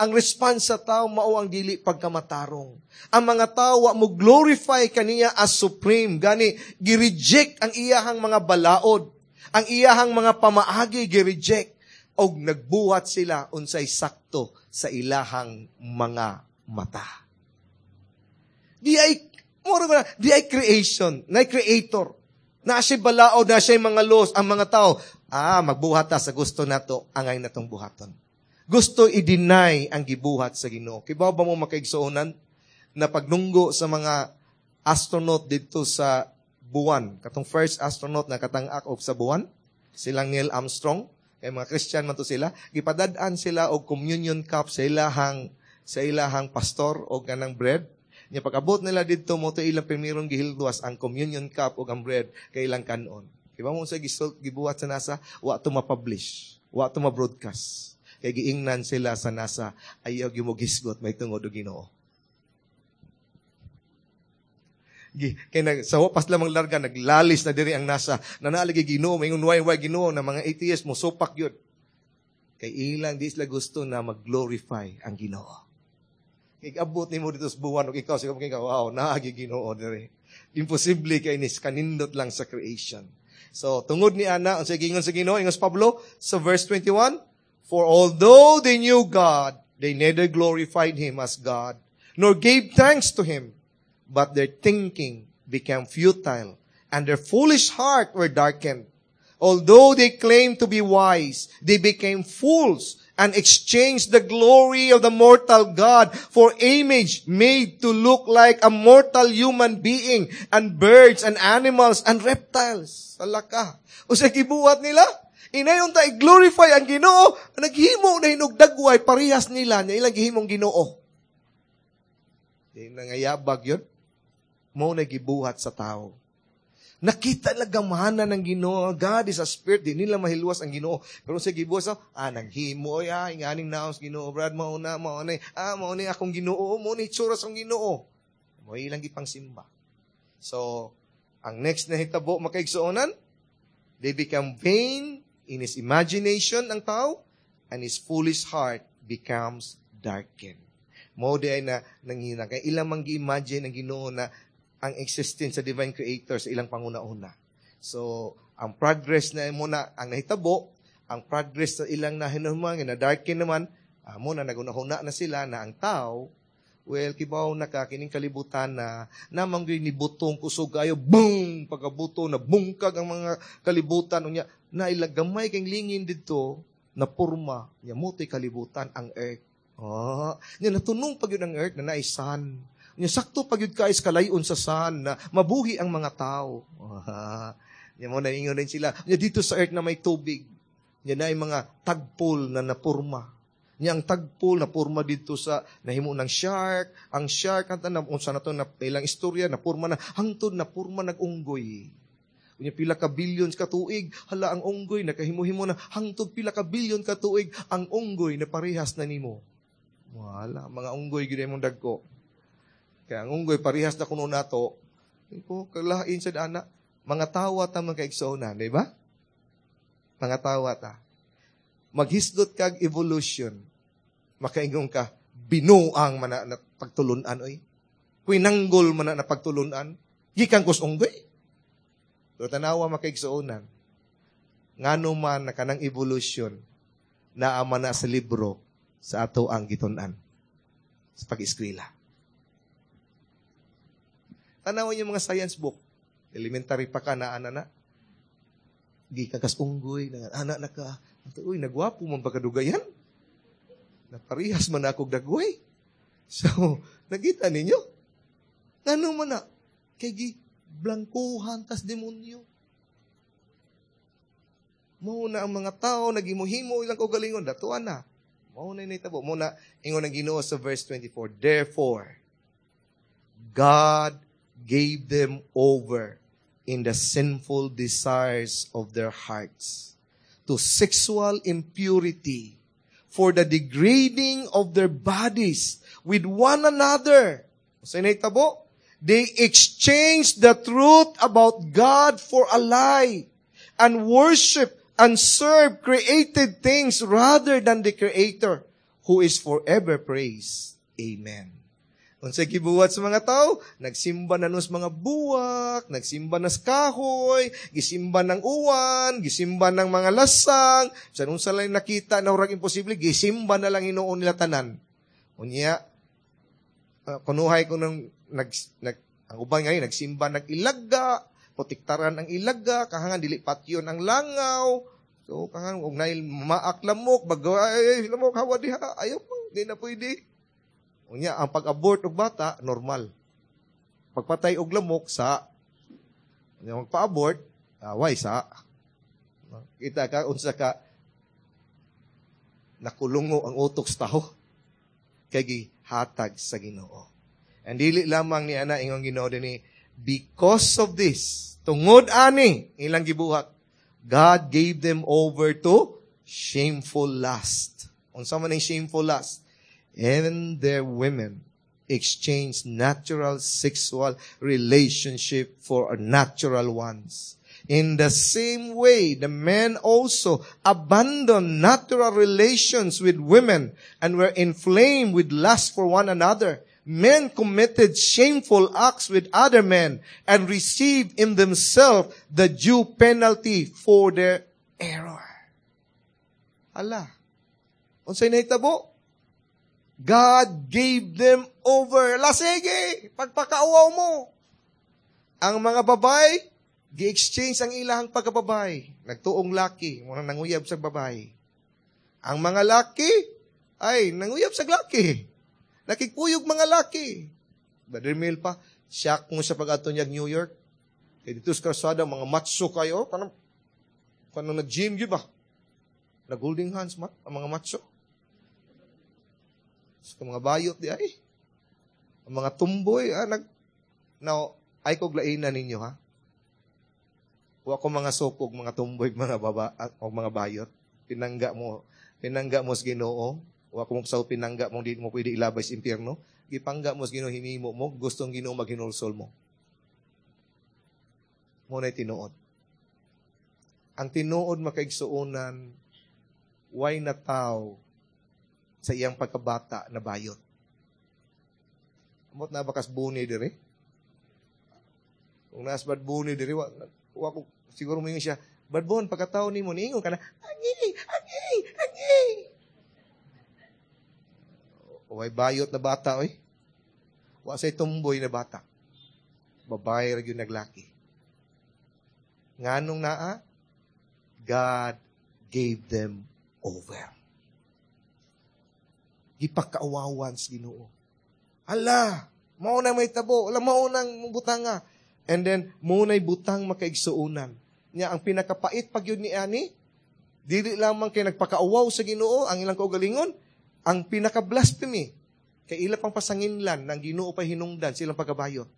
Ang response sa tao mao ang dili pagkamatarong. Ang mga tao wa mo glorify kaniya as supreme. Gani gi-reject ang iyahang mga balaod. Ang iyahang mga pamaagi gi-reject og nagbuhat sila unsay sakto sa ilahang mga mata. Di ay mura ba, di ay creation, na creator. Na siya balaod, na siya mga laws, ang mga tao, magbuhat ta sa gusto nato, angay natong buhaton. Gusto i-deny ang gibuhat sa Ginoo. Kibaw ba mo, makaigsuonan, na pagnunggo sa mga astronaut dito sa buwan, katong first astronaut na katang-ak og sa buwan, silang Neil Armstrong, kay mga Christian man to sila, gipadad-an sila og communion cup sa ilahang pastor og kanang bread. Nya pag-abot nila didto, mo to ilang primerong gihilwas ang communion cup ug ang bread kay ilang kanon. Kibaw mo sa gibuhat sa NASA? Wa to ma-publish, wa to ma-broadcast. Kay giingnan sila sa NASA, ayaw gyud mo gisgot may tungod og Ginoo. Kay nag, sa wapas lamang larga, naglalis na diri ang NASA. Nanalagi Ginoo, maingon way Ginoo na mga atheist mo supak yun. Kay ilang di sila gusto na mag-glorify ang Ginoo. Kay abot nimo dito sa buwan ug ikaw siguro kay, wow, naagi Ginoo diri. Imposible kay nis kanindot lang sa creation. So tungod ni ana, unsay giingon sa Ginoo, ingon Pablo sa verse 21, "For although they knew God, they neither glorified him as God nor gave thanks to him, but their thinking became futile and their foolish heart were darkened. Although they claimed to be wise, they became fools and exchanged the glory of the immortal God for image made to look like a mortal human being and birds and animals and reptiles." Salaka. O sa gibuhat nila, inayon ta i-glorify ang Ginoo, naghimo na hinog dagway parehas nila niya ilang gihimong Ginoo. Di nangayabag yun. Mo na gibuhat sa tao. Nakita lang gamhanan ng Ginoo. God is a spirit. Di nila mahilwas ang Ginoo. Pero sa gibuhat sa, naghimo, ay, inganing naos Ginoo, Brad, mauna, mauna, mauna akong Ginoo, mauna itsura sa Ginoo. Mo ilang gipang simba. So, ang next na hitabo, makaigsuonan, they become vain in his imagination ang tao, and his foolish heart becomes darkened. Mo di ay na nangina. Kaya ilang mang gi-imagine ang Ginoo na ang existence sa divine creator sa ilang panguna-una. So, ang progress na mo na ang nahitabo, ang progress sa ilang nahinuman, na darken naman, mo na nagunahuna na sila na ang tao, well, kibaw na ka, kining kalibutan na namang ni butong kusog ayo, boom! Pagkabuto, na bungkag ang mga kalibutan, unya, na ilagamay kang lingin dito, na purma, nya muti kalibutan, ang earth. Nya natunong pag yun ang earth na naisan. Nya sakto pag yun kais kalayon sa sun na mabuhi ang mga tao. Nya mo naingon din sila. Nya dito sa earth na may tubig. Nya na mga tagpol na napurma. Nya ang tagpol na purma dito sa nahimo ng shark. Ang shark ang tanan unsa na to na ilang istorya na purma na hangtod na purma nag-unggoy. Unya pila ka billions ka tuig, hala ang unggoy nakahimo-himo na hangtod pila ka billion ka tuig ang unggoy na parehas na nimo. Wala, mga unggoy gyud imong dagko. Kaya ang unggoy parehas na kuno nato. Iko kalain sad ana, mga tawa ta mga kaigsoona, di ba? Mga tawa ta. Maghisgot kag evolution, makaingon ka binuang man na pagtulunan oy. Kuinanggol man na pagtulunan, gikan kus unggoy. Pero tanawa, makaigsuonan, ngano man na kanang evolution naa man na sa libro sa ato ang gitun-an sa pag-eskwela. Tanawan yung mga science book. Elementary pa ka na, ana na. Gikan kas unggoy, na, ana na ka. Uy, nagwapo man ba kadugayan? Naparihas man ako dagway. So, nakita ninyo? Ngano man na? Kay gi blangkuhan tas demonyo. Mao na ang mga tao naghimuhimo ilang kaugalingon, datuan na. Mao na nitabo. Mao na ingon ang Ginoo sa verse 24. "Therefore, God gave them over in the sinful desires of their hearts to sexual impurity for the degrading of their bodies with one another." Sa nahitabo? "They exchanged the truth about God for a lie and worship and serve created things rather than the Creator, who is forever praised. Amen." Unsay gibuhat sa mga tao? Nagsimba na nos mga buwak, nagsimba na sa kahoy, gisimba ng uwan, gisimba ng mga lasang, sa unsa lang nakita na urag imposible, gisimba na lang hinuon nila tanan. Unya, kunuhay ko nang nag, nag ang uban ngayon nagsimba nag-ilaga, Protektaran ang ilaga, kahangan dili patyon ang langaw. So kahangan og nail maak lamok, bago ay lamok hawa diha, ayaw pa, di na pwede. Unya ang pag-abort og bata normal. Pagpatay og lamok sa unya magpa-abort, away sa. Kita ka unsa ka nakulungo ang utok sa tao kay gihatag sa Ginoo. And dili lamang ni ana ingon Ginoo dinhi, because of this, tungod ani ilang gibuhat, God gave them over to shameful lust. Unsa man ang shameful lust? And their women exchanged natural sexual relationship for unnatural ones. In the same way, the men also abandoned natural relations with women and were inflamed with lust for one another. Men committed shameful acts with other men and received in themselves the due penalty for their error. Ala, unsay nahitabo? God gave them over. La, sige, pagpakauwaw mo. Ang mga babae, gi-exchange ang ilahang pagkababay. Nagtuong laki, mga nanguyab sa babae. Ang mga laki, ay, nanguyab sa laki. Nakikpuyog mga laki. Brother Mel pa, siya kung sa pag-ato niya New York. Kaya dito sa kalsada, mga macho kayo, kanang nag-gym yun ba? Nag-holding hands man, ang mga macho. Sa mga bayot di ay. Ang mga tumboy, now, ay kog lainan ninyo, ha? Wa ko mga sukog, mga tumboy, mga baba, o mga bayot. Pinangga mo sa Ginoo. Wa ko sa pinangga mo, di mo pwede ilabay sa impyerno. Gipangga mo sa Ginoo, hinimo mo, gustong Ginoo maghinulsol mo. Mo na'y tinuod. Ang tinuod makaigsuonan, way na tao sa iyang pagkabata na bayot. Amot na bakas buni diri? Kung naas bad buni diri, wa ko, siguro mo siya, bad bon, pagkatao ni mo, niingon ka na, angi, angi, angi. Way bayot na bata, oy. Wa say tumboy na bata. Babae ra gyud naglaki. Nganong naa? God gave them over. Gipakaawawan sa Ginoo. Ala, mao nang may tabo, ala mao nang butanga. And then mao nay butang makaigsuonan. Nya ang pinakapait pag yun ni ani, dili lamang kay nagpakaawaw sa Ginoo ang ilang kaugalingon, ang pinaka-blasphemy kay ila pang pasanginlan ng Ginoo pa hinungdan silang pagkabayot.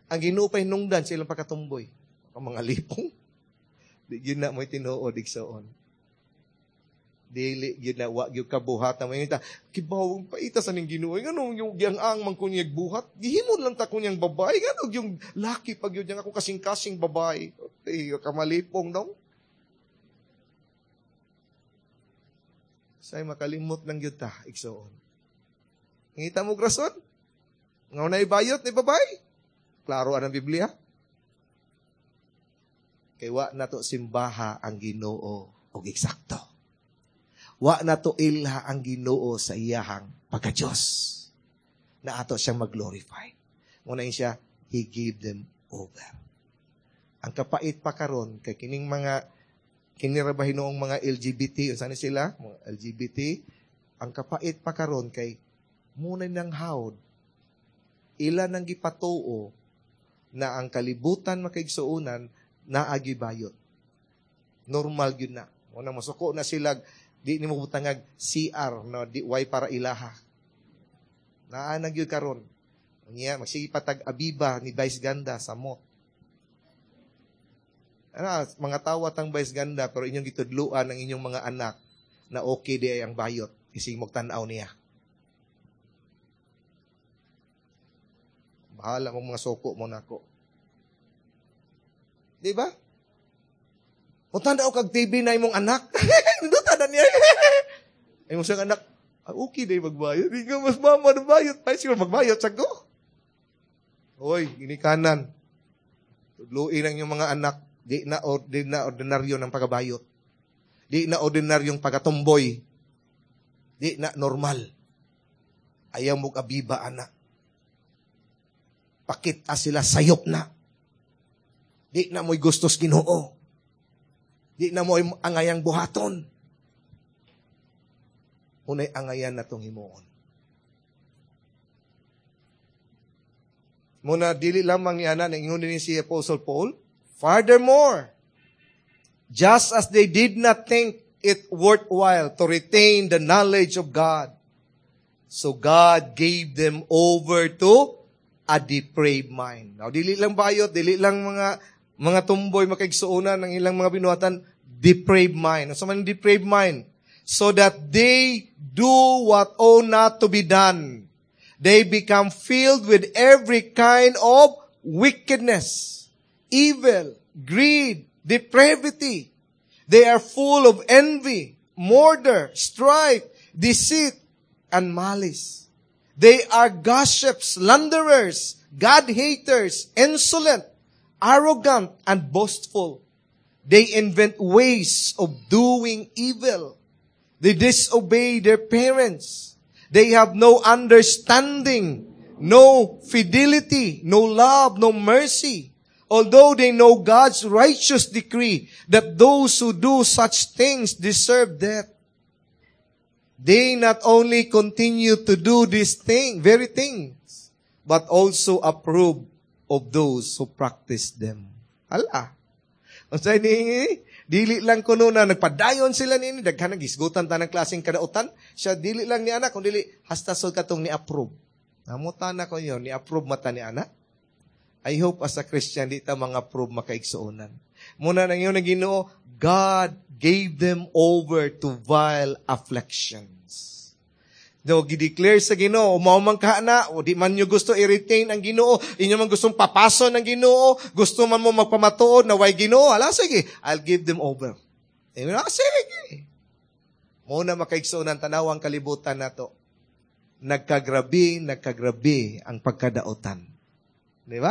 Ang Ginoo pa hinungdan silang pagkatumboy. Ang mga lipong. Di gyud na mo'y tinuod igsoon. Dili gyud na wa gyud kabuhat mo ta kibaw paita sa ning Ginoo ngano yung giang-ang man kunyag buhat gihimon lang ta kunyang babae ngano yung laki pag yun yang ako kasing-kasing babae eh, kamalipong daw. Say makalimot lang gyud ta igsoon. Ngita mo rason? Nga na ibayot ni babae. Klaro ang Biblia. Kay wa na to simbaha ang Ginoo og eksakto. Wa na to ilha ang Ginoo sa iyahang pagka-Diyos. Na ato siyang mag-glorify. Muna siya, He gave them over. Ang kapait pa karon kay kining mga kinira ba hinuong mga LGBT, unsa ni sila? Mga LGBT, ang kapait pa karon kay muna nang hawd ila nang gipatuo na ang kalibutan makaigsuonan naagi bayot. Normal gyud na. Muna masuko na sila, di nimo butangag CR no, di way para ilaha. Naa na gyud karon. Unya magsige patag abiba ni Vice Ganda sa mot. Ano, mga tawa tang Vice Ganda pero inyong gitudluan ang inyong mga anak na okay di ay ang bayot isig magtan-aw niya. Bahala mong mga soko mo nako. Di ba? Kung tanaw kag TV na imong anak, nindot na niya. Ay mo siyang anak, ah, okay na magbayot. Di ka mas mama na bayot. Ay, siguro magbayot sa ko. Hoy, ginikanan. Tudluin ang inyong mga anak. Di na ordinaryo ng pagkabayot. Di na ordinaryong pagkatumboy. Di na normal. Ayaw mo abiba, anak. Pakita sila sayop na. Di na mo'y gustos Ginoo. Di na mo'y angayang buhaton. Unay angayan na tong himuon. Muna, dili lamang ni ana, ingon din si Apostle Paul, furthermore, just as they did not think it worthwhile to retain the knowledge of God, so God gave them over to a depraved mind. Now, dili lang bayot, dili lang mga tumboy makaigsuonan ng ilang mga binuhatan, depraved mind. Ano man depraved mind? So that they do what ought not to be done. They become filled with every kind of wickedness, evil, greed, depravity. They are full of envy, murder, strife, deceit, and malice. They are gossips, slanderers, God-haters, insolent, arrogant, and boastful. They invent ways of doing evil. They disobey their parents. They have no understanding, no fidelity, no love, no mercy. Although they know God's righteous decree that those who do such things deserve death, they not only continue to do this thing, very things, but also approve of those who practice them. Hala. Unsay ni dili lang kuno na nagpadayon sila nini, daghan nang gisgutan ta ng klaseng kadautan. Siya dili lang ni anak, kung dili hasta sud katong ni approve. Namutan na ko yun, ni approve mata ni anak. I hope as a Christian di ta mga approve makaigsuonan. Muna nang yun ang Ginoo, God gave them over to vile afflictions. No, gideclare sa Ginoo, mao man ka na, o di man nyo gusto i-retain ang Ginoo, inyo man gustong papaso ng Ginoo, gusto man mo magpamatuod na way Ginoo, ala sige, I'll give them over. Eh, sige. Muna makaigsuonan tanawang kalibutan nato. Nagkagrabi, nagkagrabi ang pagkadaotan. Di ba?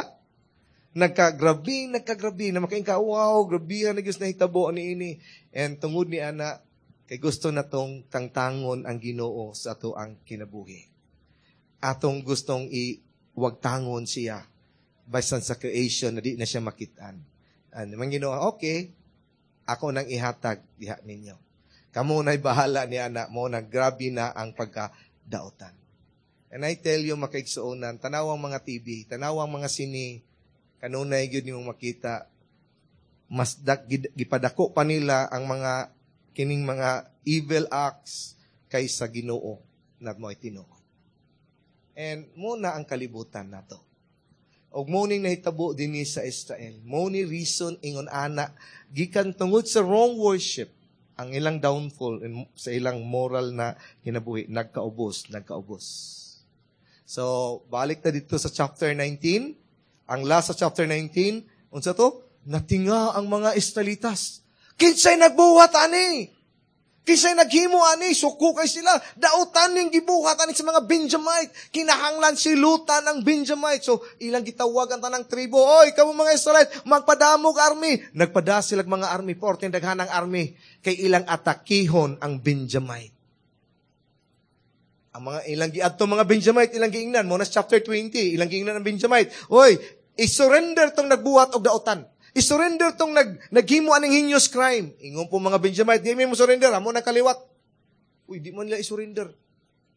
Nagkagrabi, nagkagrabi na makaingka, wow, grabihan na Diyos nahitabo ani ini. And tungod ni ana, kay gusto na tong tangtangon ang Ginoo sa ato ang kinabuhi. Atong gustong iwagtangon siya bisan sa creation na di na siya makitaan. Ano man Ginoo, okay, ako nang ihatag diha ninyo. Kamo na'y bahala ni ana mo na grabe na ang pagkadaotan. And I tell you, makaigsuonan, tanawang mga TV, tanawang mga sini, kanunay gyud nimong makita, mas gipadako pa nila ang mga kining mga evil acts kaysa Ginoo na mo'y tinuod. And mo na ang kalibutan nato. Og mo ning nahitabo dinhi sa Israel. Mo ni reason ingon ana gikan tungod sa wrong worship ang ilang downfall sa ilang moral na kinabuhi nagkaubos, nagkaubos. So balik ta dito sa chapter 19. Ang last sa chapter 19, unsa to? Natinga ang mga Israelitas. Kinsay nagbuhat ani? Kinsay naghimo ani? Suko kay sila. Dautan ning gibuhat ani sa mga Benjamite. Kinahanglan silutan ang Benjamite. So ilang gitawag ang tanang tribo. Oy, kamo mga Israelite, magpadamog army. Nagpada sila mga army, porte daghan ang army kay ilang atakihon ang Benjamite. Ang mga ilang giadto mga Benjamite, ilang giingnan mo na chapter 20, ilang giingnan ang Benjamite. Oy, i-surrender tong nagbuhat og dautan. I-surrender tong naghimo aning heinous crime. Ingon po mga Benjamite, di mo surrender, amo na kaliwat. Uy, di man nila i-surrender.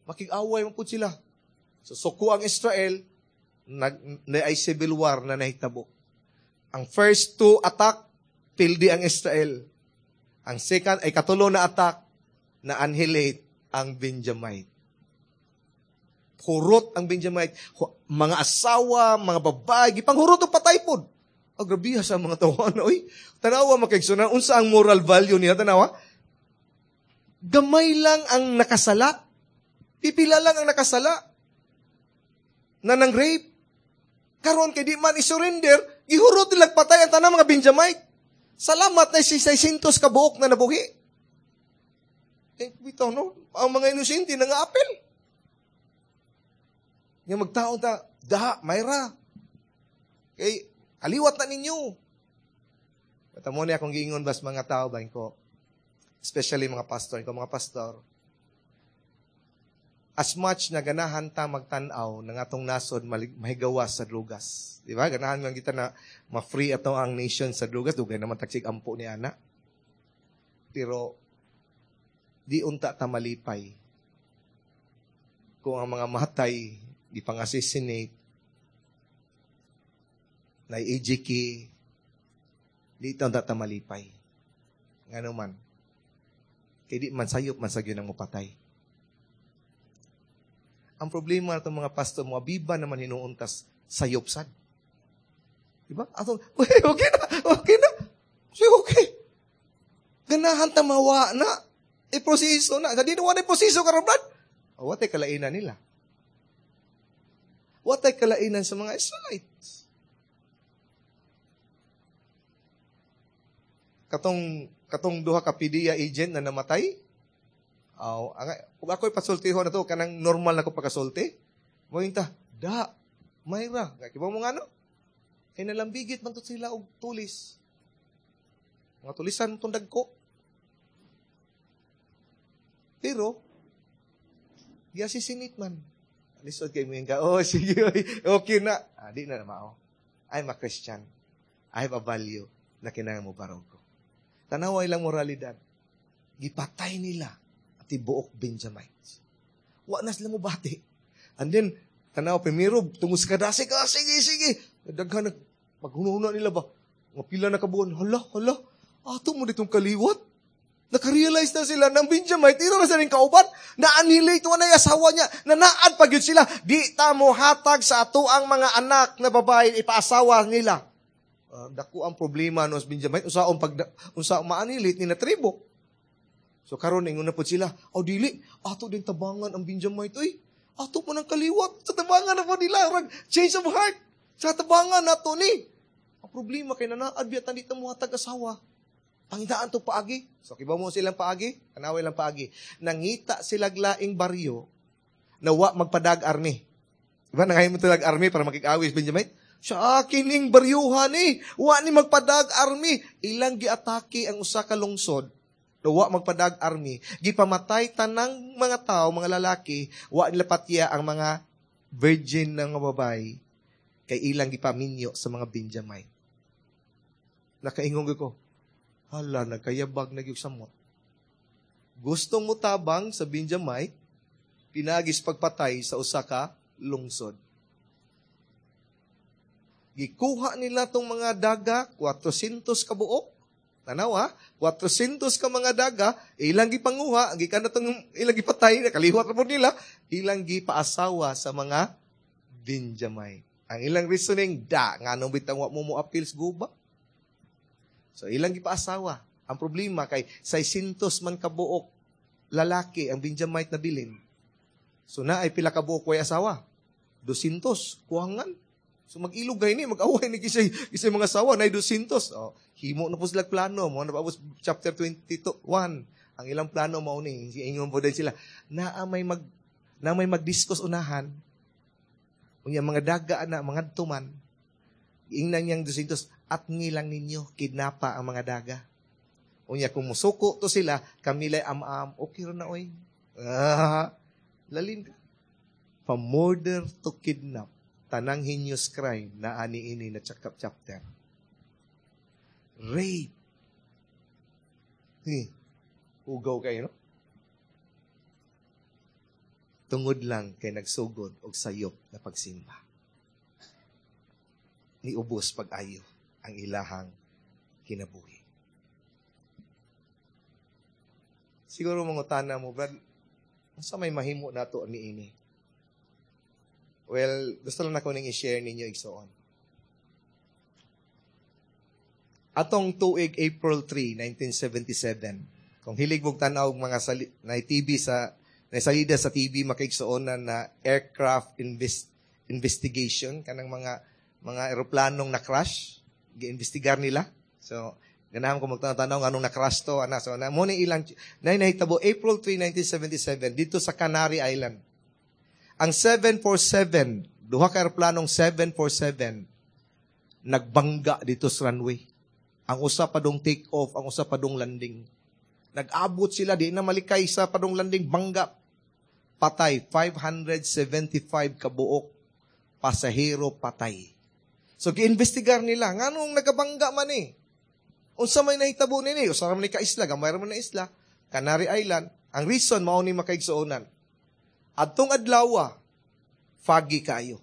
Makig-away man po sila. So, suko ang Israel, na ay civil war na nahitabo. Ang first two attack, pildi ang Israel. Ang second, ay katulo na attack, na annihilate ang Benjamite. Hurot ang Benjamite. Mga asawa, mga babae, gipanghurot og patay pod. Oh, grabe sa mga tawana, oy. Tanawa makaigsunan, unsa ang moral value niya, tanawa? Gamay lang ang nakasala. Pipila lang ang nakasala. Na nang rape. Karon kay di man i-surrender, gihurot nila patay ang tanang mga Benjamite. Salamat na si 600 ka buok na nabuhi. Eh, bitaw, no? Ang mga inosente nangaapel. Nga magtaon ta, daha, mayra. Kay, kaliwat na ninyo. Bata mo niya akong giingon bas mga tao ba ko, especially mga pastor, ko mga pastor, As much na ganahan ta magtan-aw ng atong nasod mahigawas sa drugas. Di ba? Ganahan man kita na ma-free ato ang nation sa drugas. Dugay naman tagsig ampo ni ana. Pero di unta ta malipay kung ang mga matay gipang-assassinate na EJK, di ta unta ta malipay. Ngano man? Kay di man sayop man sa gyud ang mopatay. Ang problema natong mga pastor, mga biba naman hinuuntas sayop sad. Diba? Atong, okay na, okay na. Sige, okay. Ganahan ta mawa na. I-proseso na. Sa di na wala proseso karon, brad. O, watay kalainan nila. Watay kalainan sa mga Israelites. Katong duha ka PDEA agent na namatay, oh, kung ako'y pasultihon na to, kanang normal na ko pagkasulti, mointa, da, mayra. Kibaw mo nga no? Kay nalambigit man to sila og tulis. Mga tulisan itong dagko. Pero, giasisinit man. Lisod kay mo yung ka, oh, sige, okay na. Ah, di na mao. I'm a Christian. I have a value na kinahanglan mo barog ko. Tanawa ilang moralidad. Gipatay nila at tibuok Benjamites. Wa na sila mo bati. And then, tanawa, primero, tungod sa kadasig, ah, sige, sige. Daghan na, maghunahuna nila ba? Mga pila na kabuan, hala, hala, ato mo ditong kaliwat. Nakarealize na sila ng Benjamite, iro na sila ng kauban, na-annihilate wa na asawa niya, nanaad pa gyud sila, di ta mo hatag sa ato ang mga anak na babae, ipaasawa nila. Dako ang problema no sa Benjamite, unsaon pag unsa ma-annihilate ni na tribo. So karon ingon na pud sila, oh dili, ato din tabangan ang Benjamite oy. Ato mo nang kaliwat sa tabangan na po nila, rag change of heart. Sa tabangan nato ni. Ang problema kay nanaad biya tan di ta mo hatag asawa. Pangitaan to paagi. So, kibaw mo silang paagi? Kanaway lang paagi. Nangita sila laing baryo na wa magpadag army. Diba? Nangayon mo talag army para makikawis, Benjamin? Sa akin ning baryuhan eh. Wa ni magpadag army. Ilang giatake ang usa ka lungsod na wa magpadag army. Gipamatay tanang mga tao, mga lalaki, wa nila patya ang mga virgin ng mga babae kay ilang gipaminyo sa mga Benjamite. Nakaingong ko, hala, nagkayabag na gyud samot. Gustong mo tabang sa Benjamite, pinagis pagpatay sa usa ka lungsod. Gikuha nila tong mga daga, 400 ka buok. Tanaw ha, 400 ka mga daga, ilang gipanguha, gikan na tong ilang gipatay, nakaliwat na po nila, ilang gipaasawa sa mga Benjamite. Ang ilang reasoning, da, nganong bitang wa mo mo appeals guba. So, ilang gipaasawa. Ang problema kay 600 man kabuok lalaki ang Benjamite na bilin. So, na ay pila kabuok way asawa? 200. Kuhangan. So, mag-ilog gay ni, mag-away ni kisay mga asawa, na ay 200. Oh, himo na po sila plano. Mo na pa chapter 22, 1. Ang ilang plano mao ni, ingon po din sila, na may mag-discuss unahan. Unya mga daga na, mga tuman. Ingnan niyang 200, at ngilang ninyo, kidnapa ang mga daga. Unya, kung musuko to sila, kamilay am-am, okay rin na, oy. Ah, lalim ka. From murder to kidnap, tanang heinous crime na ani-ini na chapter. Rape. Ugaw kayo, no? Tungod lang kay nagsugod og sayop na pagsimba. Niubos pag-ayo ang ilahang kinabuhi. Siguro mangutana mo, Brad, unsa may mahimo nato niini? Well, gusto lang nako ning i-share ninyo igsoon. Atong tuig April 3, 1977, kung hilig mong tan-aw mga na TV sa naisalida sa TV makaigsoon na aircraft investigation kanang mga eroplanong na-crash, gi-investigar nila. So, ganahan ko magtanaw anong na-crash to, ana. So, na mo ni ilang na nahitabo April 3, 1977 dito sa Canary Island. Ang 747, duha ka eroplanong 747 nagbangga dito sa runway. Ang usa pa dong take off, ang usa pa dong landing. Nag-abot sila, di na malikay sa padong landing, bangga. Patay, 575 kabuok pasahero patay. So giimbestigar nila nganong nagabangga man ni. Unsa may nahitabo nini? Usa ra man ni ka isla, gamay ra man na isla, Canary Island. Ang reason mao ni, makaigsuonan. Adtong adlaw, foggy kayo.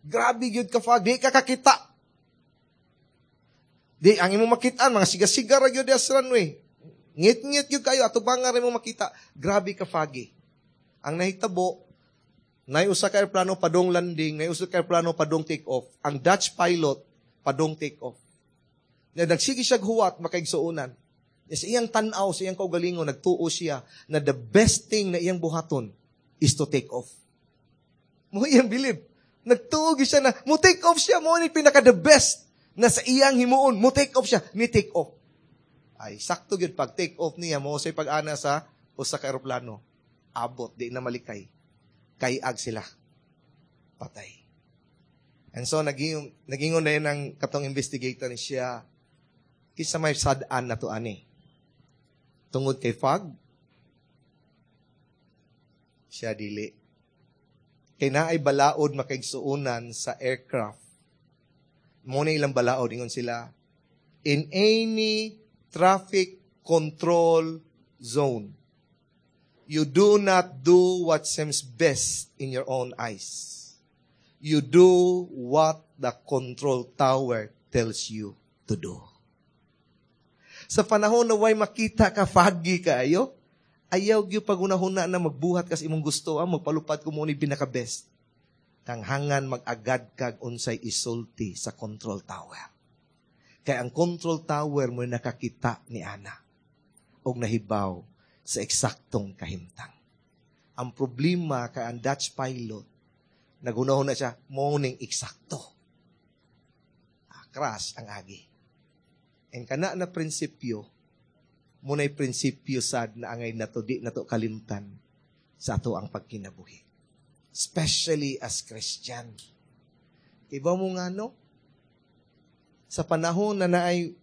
Grabe gyud ka fog, di ka kakita. Di ang imong makitaan mga siga-siga ra gyud sa runway. Ngit-ngit gyud kayo atubang ra imong makita. Grabe ka foggy. Ang nahitabo, nay usa ka eroplano padong landing, nay usa ka eroplano padong take off. Ang Dutch pilot padong take off. Na nagsige siya huwat, makaigsuonan. Sa iyang tan-aw, sa iyang kaugalingon, nagtuo siya na the best thing na iyang buhaton is to take off. Mo iyang believe. Nagtuo siya na mo take off siya, mo ni pinaka the best na sa iyang himuon, mo take off siya, ni take off. Ay, sakto gyud pag take off niya, mo say pag-ana sa usa ka eroplano. Abot, di na malikay. Kayag sila. Patay. And so, nagingon na yun ang katong investigator ni siya, kinsa may sad-an na to ani? Tungod kay fog? Siya, dili. Kay naay balaod, makaigsuonan, sa aircraft. Mo na ilang balaod, ingon sila, in any traffic control zone, you do not do what seems best in your own eyes. You do what the control tower tells you to do. Sa panahon na way makita ka, foggy kaayo, ayaw gyud pagunahuna na magbuhat kas imong gusto, ah, magpalupad ko mo ni pinaka best. Kanghangan mag-agad kag unsay isulti sa control tower. Kay ang control tower mo nakakita ni ana og nahibaw sa eksaktong kahimtang. Ang problema kay ang Dutch pilot, nagunahon na siya, mo ning eksakto. Ah, crash ang agi. And kana na prinsipyo, muna'y prinsipyo sad na angay nato di nato kalimtan sa ato ang pagkinabuhi. Especially as Christian. Iba mo nga, no? Sa panahon na naay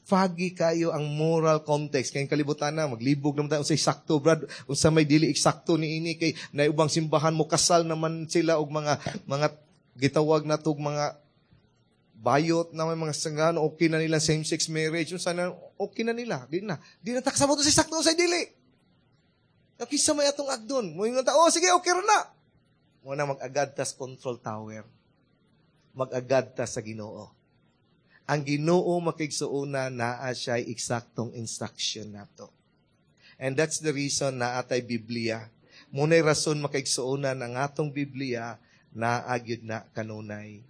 foggy kayo ang moral context kay kalibutan na maglibog naman tayo unsay sakto, brad, unsa may dili eksakto ni ini, kay na ubang simbahan mo kasal naman sila og mga gitawag na tog mga bayot na may mga sangano, okay na nila same sex marriage, unsa na okay na nila, di na taksabot sa sakto sa dili. Kinsa may atong agdon mo ingon ta, "Oh, sige, okay ra na." Mo na mag-agad tas control tower, mag-agad ta sa Ginoo. Ang Ginoo, makaigsuonan, naa siya eksaktong instruction nato. And that's the reason na atay Biblia. Muna'y rason, makaigsuonan, ang atong Biblia naa gyud na kanunay.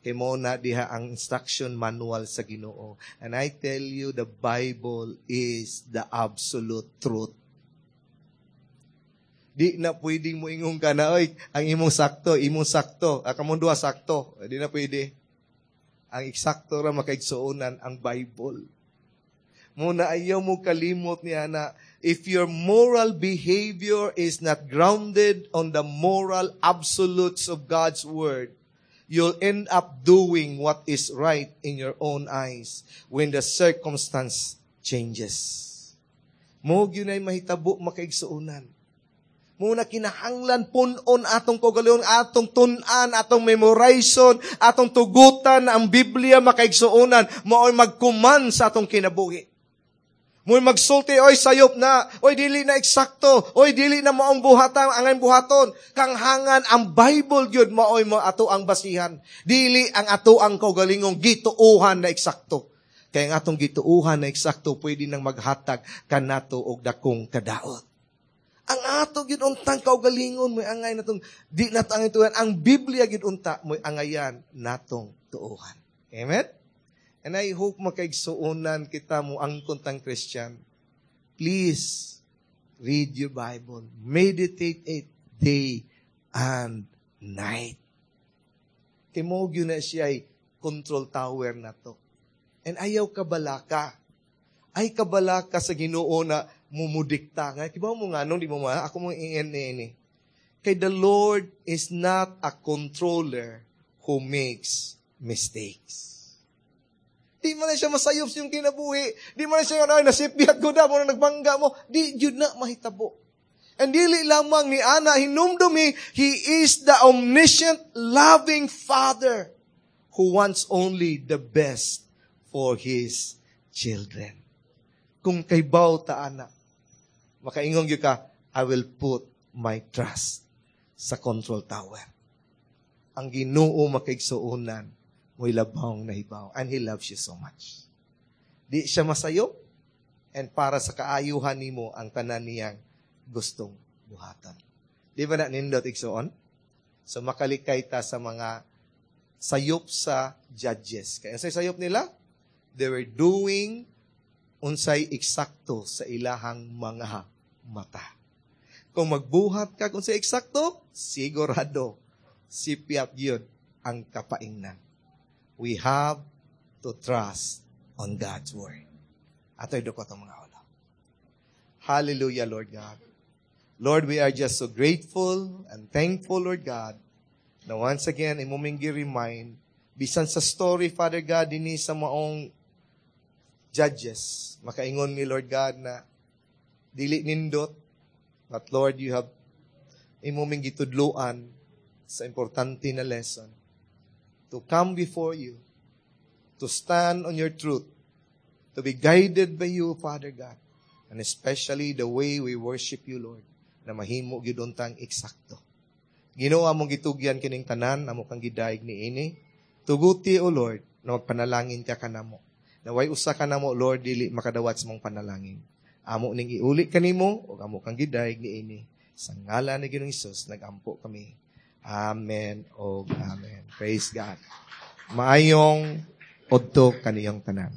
Kay mo na diha ang instruction manual sa Ginoo. And I tell you, the Bible is the absolute truth. Di na pwedeng mo ingon ka na, "Oy, ang imong sakto, imong sakto, ah, kamong duha sakto." Di na pwede. Ang eksakto ra, makaigsuonan, ang Bible. Muna ayaw mo kalimot niya na if your moral behavior is not grounded on the moral absolutes of God's Word, you'll end up doing what is right in your own eyes when the circumstance changes. Mo gyud ay mahitabo, makaigsuonan. Muna kinahanglan punon atong kaugalingon, atong tun-an, atong memorization, atong tugutan na ang Biblia, makaigsuonan, mao'y magkuman sa atong kinabuhi. Mo'y magsulti, "Oy, sayop na, oy, dili na eksakto, oy, dili na maong buhatan, ang buhaton." Kanghangan ang Bible gyud maoy mo ato ang basihan. Dili ang ato ang kaugalingong gituuhan na eksakto. Kaya ang atong gituuhan na eksakto pwede nang maghatag kanato og dakong kadaot. Ang ato gyud untang kaugalingon mo'y angay natong di nato ang tuuhan. Ang Biblia gyud unta mo'y angayan natong tuuhan. Amen? And I hope, makaigsuonan, kita mo ang kuntang Christian. Please read your Bible. Meditate it day and night. Kay mo gyud na siya ay control tower na to. And ayaw kabalaka. Ay kabalaka sa Ginoo na mumudikta. Nga, kibaw mo nga, nung di mo ma, ako mo ingin ni. Kay the Lord is not a controller who makes mistakes. Di man na siya masayop sa iyong kinabuhi. Di man na siya, "Ay, nasipyat ko na, mo na nagbangga mo." Di, yun na mahitabo. And dili lamang ni ana hinumdumi, He is the omniscient, loving Father who wants only the best for His children. Kung kaybaw ta ana, makaingon gyud ka, "I will put my trust sa control tower." Ang Ginoo makaigsuonan, mo'y labawng nahibaw. And He loves you so much. Di siya masayop, and para sa kaayuhan nimo ang tanan niyang gustong buhatan. Di ba na nindot, igsuon? So makalikay ta sa mga sayop sa judges. Kaya sa sayop nila, they were doing unsay eksakto sa ilahang mga mata. Kung magbuhat ka kung sa eksakto, sigurado, sipyat yun ang kapaingnan. We have to trust on God's word. Ato'y dukot ang mga ulo. Hallelujah, Lord God. Lord, we are just so grateful and thankful, Lord God, na once again, imo ming remind bisan sa story, Father God, dinhi sa maong judges, makaingon mi, Lord God, na dili nindot, but Lord, you have imo ming gitudluan sa importante na lesson to come before you, to stand on your truth, to be guided by you, Father God, and especially the way we worship you, Lord, na mahimo gyud untang eksakto. Ginoo, among gitugyan kining tanan, amo kang gidayeg niini. Tuguti, O Lord, na magpanalangin ka kanamo. Naway usa ka namo, Lord, dili makadawat sa mong panalangin. Amo ning iuli kanimo ug amo kang gidayeg niini. Sa ngalan ni Ginoong Hesus nagampo kami. Amen o amen. Praise God. Maayong udto kaniyong tanan.